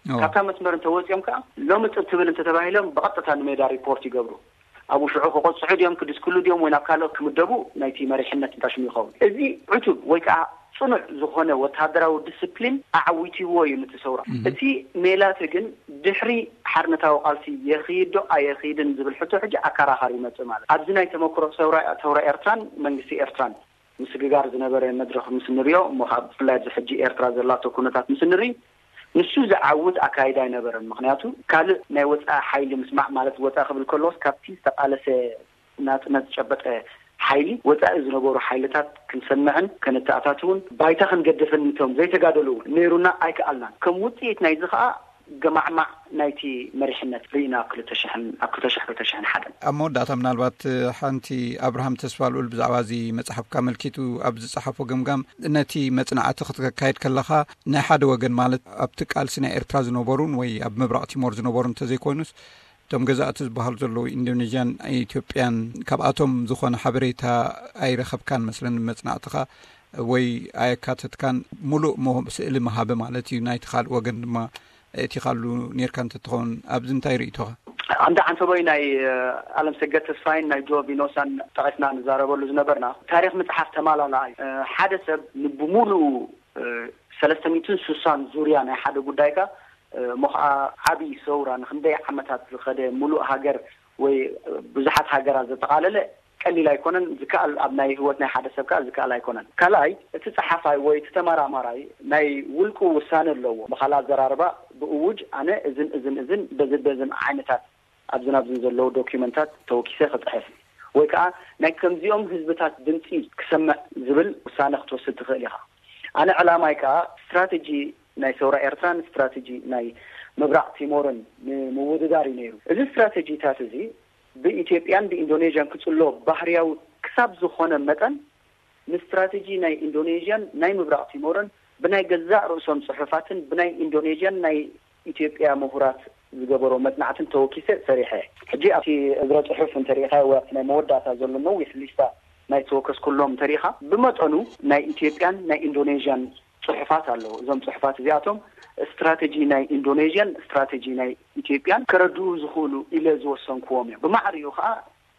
እዎ። ካብታ መስመር እንተወፂኦም ከዓ ሎሚ ፅብ ትብል እንተተባሂሎም ብቐጥታ ንሜዳ ሪፖርት ይገብሩ። ኣብኡ ሽዑ ክቆፅሑ ድዮም፣ ክድስክሉ ድዮም ወይ ናብ ካልእ ክምደቡ ናይቲ መሪሕነት እንታይ ሽሙ ይኸውን። እዚ ዕቱብ ወይ ከዓ ፅኑዕ ዝኾነ ወተሃደራዊ ዲስፕሊን ኣዓዊትዎ እዩ ነቲ ሰውራ። እህ። እቲ ሜላቲ ግን ድሕሪ ሓርነታዊ ቃልሲ የኽይድ ዶ ኣየኽይድን ዝብል ሕቶ ሕጂ ኣከራኻሪ ይመፅእ ማለት። ኣብዚ ናይ ተመክሮ ሰውራ፣ ሰውራ ኤርትራን መንግስቲ ኤርትራን ምስግጋር ዝነበረ መድረኽ ምስ ንሪኦ እሞ፣ ካብ ብፍላይ ኣብዚ ሕጂ ኤርትራ ዘላቶ ኩነታት ምስ ንርኢ፣ ንሱ ዝዓውት ኣካይዳ ኣይነበረን። ምክንያቱ ካልእ ናይ ወፃኢ ሓይሊ ምስማዕ ማለት፣ ወፃኢ ክብል ከለዎስ ካብቲ ዝተቃለሰ ናፅነት ዝጨበጠ ሓይሊ ወፃኢ ዝነበሩ ሓይልታት ክንሰምዕን ከነተኣታትውን ባይታ ክንገድፍን፣ ንቶም ዘይተጋደሉ እውን ነይሩና ኣይከኣልናን። ከም ውፅኢት ናይዚ ከዓ ገማዕማዕ ናይቲ መሪሕነት ርኢና ኣብ ክልተ ሽሕን፣ ኣብ ክልተ ሽሕ፣ ክልተ ሽሕን ሓደን። ኣብ መወዳእታ ምናልባት ሓንቲ፣ ኣብርሃም ተስፋልኡል ብዛዕባ እዚ መጽሓፍካ ኣመልኪቱ ኣብ ዝጸሓፎ ገምጋም፣ ነቲ መጽናዕቲ ክትካየድ ከለኻ ናይ ሓደ ወገን ማለት ኣብቲ ቃልሲ ናይ ኤርትራ ዝነበሩን ወይ ኣብ ምብራቕ ቲሞር ዝነበሩ እንተዘይኮይኑስ እቶም ገዛእቲ ዝበሃሉ ዘለዉ ኢንዶኔዥያን ኢትዮጵያን ካብኣቶም ዝኾነ ሓበሬታ ኣይረኸብካን መስለኒ መጽናዕትኻ ወይ ኣየካተትካን። ሙሉእ ሞ-፣ ስእሊ መሃበ ማለት እዩ። ናይቲ ካልእ ወገን ድማ እቲ ካሉ ኔርካ እንተትኸውን ኣብዚ እንታይ ርእይቶኻ? ኣንዳ ዓንተቦይ ናይ ኣለም ሰገድ ተስፋይን ናይ ጆ ቪኖሳን ጠቒስና ንዛረበሉ ዝነበርና ታሪኽ ምጽሓፍ ተማላላኣ እዩ። ሓደ ሰብ ንብሙሉኡ ሰለስተ ሚእትን ስሳን ዙርያ ናይ ሓደ ጉዳይካ እሞ ኸዓ ዓብዪ ሰውራ ንክንደይ ዓመታት ዝኸደ ሙሉእ ሃገር ወይ ብዙሓት ሃገራት ዘጠቓለለ ቀሊል ኣይኮነን። ዝከኣል፣ ኣብ ናይ ህይወት ናይ ሓደ ሰብ ከኣ ዝከኣል ኣይኮነን። ካልኣይ፣ እቲ ጸሓፋይ ወይ እቲ ተመራማራይ ናይ ውልቁ ውሳነ ኣለዎ። ብኻልእ ኣዘራርባ፣ ብእውጅ ኣነ እዝን እዝን እዝን በዝን በዝን ዓይነታት ኣብዝን ኣብዝን ዘለዉ ዶኪመንታት ተወኪሰ ክጽሕፍ ወይ ከኣ ናይ ከምዚኦም ህዝብታት ድምጺ ክሰምዕ ዝብል ውሳነ ክትወስድ ትኽእል ኢኻ። ኣነ ዕላማይ ከኣ ስትራተጂ ናይ ሰውራ ኤርትራን ስትራተጂ ናይ ምብራቕ ቲሞርን ንምውድዳር እዩ ነይሩ። እዚ ስትራተጂታት እዚ ብኢትዮጵያን ብኢንዶኔዥያን ክጽሎ ባህርያዊ ክሳብ ዝኾነ መጠን፣ ንስትራተጂ ናይ ኢንዶኔዥያን ናይ ምብራቕ ቲሞርን ብናይ ገዛእ ርእሶም ጽሑፋትን ብናይ ኢንዶኔዥያን ናይ ኢትዮጵያ ምሁራት ዝገበሮ መጽናዕትን ተወኪሰ ሰሪሐ። ሕጂ ኣብቲ እግረ ጽሑፍ እንተሪኢኻ ወይ ኣብቲ ናይ መወዳእታ ዘሎ ነዊሕ ሊስታ ናይ ተወከስኩሎም እንተሪኢኻ፣ ብመጠኑ ናይ ኢትዮጵያን ናይ ኢንዶኔዥያን ጽሑፋት ኣለዉ። እዞም ጽሑፋት እዚኣቶም ስትራተጂ ናይ ኢንዶኔዥያን ስትራተጂ ናይ ኢትዮጵያን ከረድኡ ዝኽእሉ ኢለ ዝወሰንኩዎም እዮም። ብማዕሪኡ ኸኣ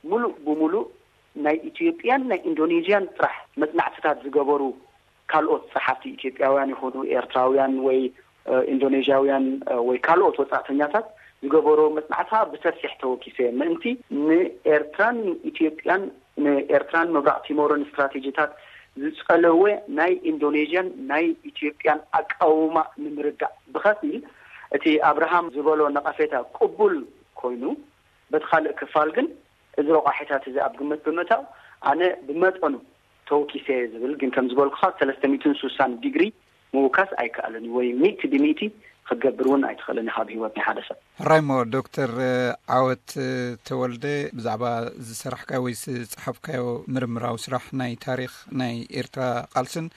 ምሉእ ብምሉእ ናይ ኢትዮጵያን ናይ ኢንዶኔዥያን ጥራሕ መጽናዕትታት ዝገበሩ ካልኦት ጸሓፍቲ፣ ኢትዮጵያውያን ይኹኑ ኤርትራውያን ወይ ኢንዶኔዥያውያን ወይ ካልኦት ወጻእተኛታት ዝገበሮ መጽናዕቲ ብሰፊሕ ተወኪሰ፣ ምእንቲ ንኤርትራን ኢትዮጵያን፣ ንኤርትራን ምብራቕ ቲሞርን ስትራቴጂታት ዝጸለወ ናይ ኢንዶኔዥያን ናይ ኢትዮጵያን ኣቃውማ ንምርዳእ ብኸፊል እቲ ኣብርሃም ዝበሎ ነቐፌታ ቅቡል ኮይኑ፣ በቲ ካልእ ክፋል ግን እዚ ረቋሒታት እዚ ኣብ ግምት ብምእታው ኣነ ብመጠኑ ተወኪሰ ዝብል፣ ግን ከም ዝበልኩኻ ሰለስተ ሚእትን ስሳን ዲግሪ ምውካስ ኣይከኣልን እዩ፣ ወይ ሚእቲ ብሚእቲ ክትገብር እውን ኣይትኽእልን ኢኻ ኣብ ህይወት ናይ ሓደ ሰብ። ሕራይ እሞ ዶክተር ዓወት ተወልደ፣ ብዛዕባ ዝሰራሕካዮ ወይ ዝጸሓፍካዮ ምርምራዊ ስራሕ ናይ ታሪኽ ናይ ኤርትራ ቃልስን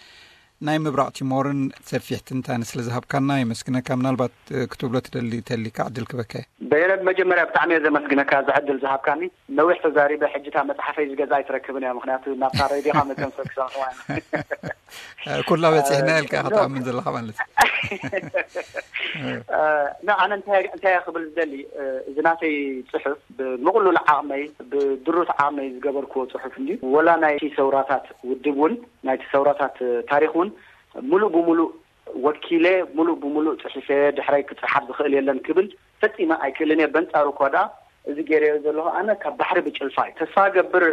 ናይ ምብራቕ ቲሞርን ሰፊሕ ትንታነ ስለ ዝሃብካና የመስግነካ። ምናልባት ክትብሎ ትደሊ ተሊካ ዕድል ክበካ። በየነ፣ መጀመርያ ብጣዕሚ እየ ዘመስግነካ እዚ ዕድል ዝሃብካኒ። ነዊሕ ተዛሪበ፣ ሕጂ እታ መጽሓፈይ ዝገዛ ኣይትረክብን እያ፣ ምክንያቱ ናብታ ሬድዮኻ መተንፈ ክሰምዋ። ኩላ በጺሕና ኢልካ ክትኣምን ዘለኻ ማለት እዩ። እ፣ ና፣ ኣነ እንታይ እንታይ እየ ክብል ዝደሊ፣ እ፣ እዚ ናተይ ጽሑፍ ብምቕሉል ዓቕመይ፣ ብድሩት ዓቕመይ ዝገበርክዎ ጽሑፍ እንድዩ። ወላ ናይቲ ሰውራታት ውድብ እውን፣ ናይቲ ሰውራታት ታሪኽ እውን ሙሉእ ብሙሉእ ወኪለ፣ ሙሉእ ብሙሉእ ጽሒፈ፣ ድሕረይ ክጽሓፍ ዝኽእል የለን ክብል ፈጺመ ኣይክእልን እየ። በንጻሩ እኳ ደኣ እዚ ገይረዮ ዘለኹ ኣነ ካብ ባሕሪ ብጭልፋ እዩ። ተስፋ ገብር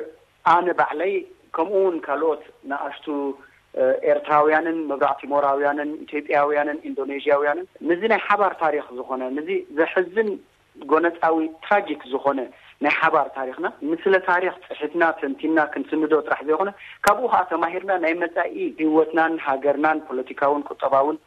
ኣነ ባዕለይ፣ ከምኡ እውን ካልኦት ንኣሽቱ፣ እ፣ ኤርትራውያንን ምብራቕ ቲሞራውያንን ኢትዮጵያውያንን ኢንዶኔዥያውያንን፣ ነዚ ናይ ሓባር ታሪኽ ዝኾነ፣ ነዚ ዘሕዝን ጎነጻዊ ትራጂክ ዝኾነ ናይ ሓባር ታሪኽና፣ ንስለ ታሪኽ ጽሒፍና ተንቲና ክንስንዶ ጥራሕ ዘይኮነ፣ ካብኡ ኸኣ ተማሂርና ናይ መጻኢ ህይወትናን ሃገርናን ፖለቲካውን ቁጠባውን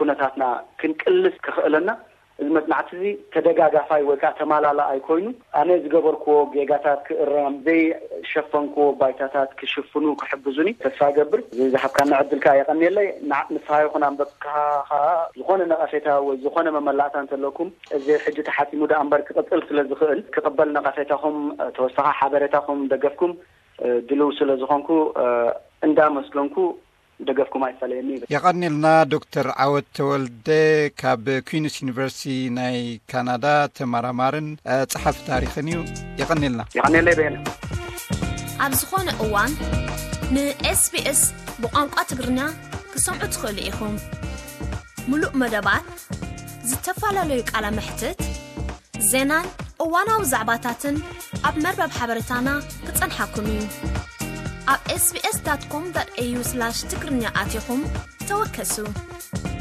ኩነታትና ክንቅልስ ክኽእለና፣ እዚ መጽናዕቲ እዚ ተደጋጋፋይ ወይ ከኣ ተማላላኣይ ኮይኑ፣ ኣነ ዝገበርክዎ ጌጋታት ክእረም፣ ዘይሸፈንክዎ ባይታታት ክሽፍኑ ክሕግዙኒ ተስፋ እገብር። እዚ ዝሃብካና ዕድል ከኣ የቐንየለይ። ንዓ-፣ ንስኻ ይኹን ኣንበብካ ከኣ ዝኾነ ነቐፌታ ወይ ዝኾነ መመላእታ እንተለኩም፣ እዚ ሕጂ ተሓቲሙ ደኣ እምበር ክቕጽል ስለ ዝኽእል፣ ክቕበል ነቐፌታኹም፣ ተወሳኺ ሓበሬታኹም፣ ደገፍኩም፣ ድልው ስለ ዝኾንኩ፣ እንዳመስገንኩ፣ ደገፍኩም ኣይፈለየኒ ይብል። የቐንልና። ዶክተር ዓወት ተወልደ ካብ ኩዊንስ ዩኒቨርሲቲ ናይ ካናዳ ተመራማርን፣ እ፣ ጸሓፊ ታሪኽን እዩ። የቐንልና። የቐንየለይ በየነ። ኣብ ዝኾነ እዋን ን SBS ብቋንቋ ትግርኛ ክሰምዑ ትኽእሉ ኢኹም። ምሉእ መደባት፣ ዝተፈላለዩ ቃለ መሕትት፣ ዜናን እዋናዊ ዛዕባታትን ኣብ መርበብ ሓበሬታና ክጸንሓኩም እዩ። ኣብ SBS dot com dot A U slash ትግርኛ ኣቲኹም ተወከሱ።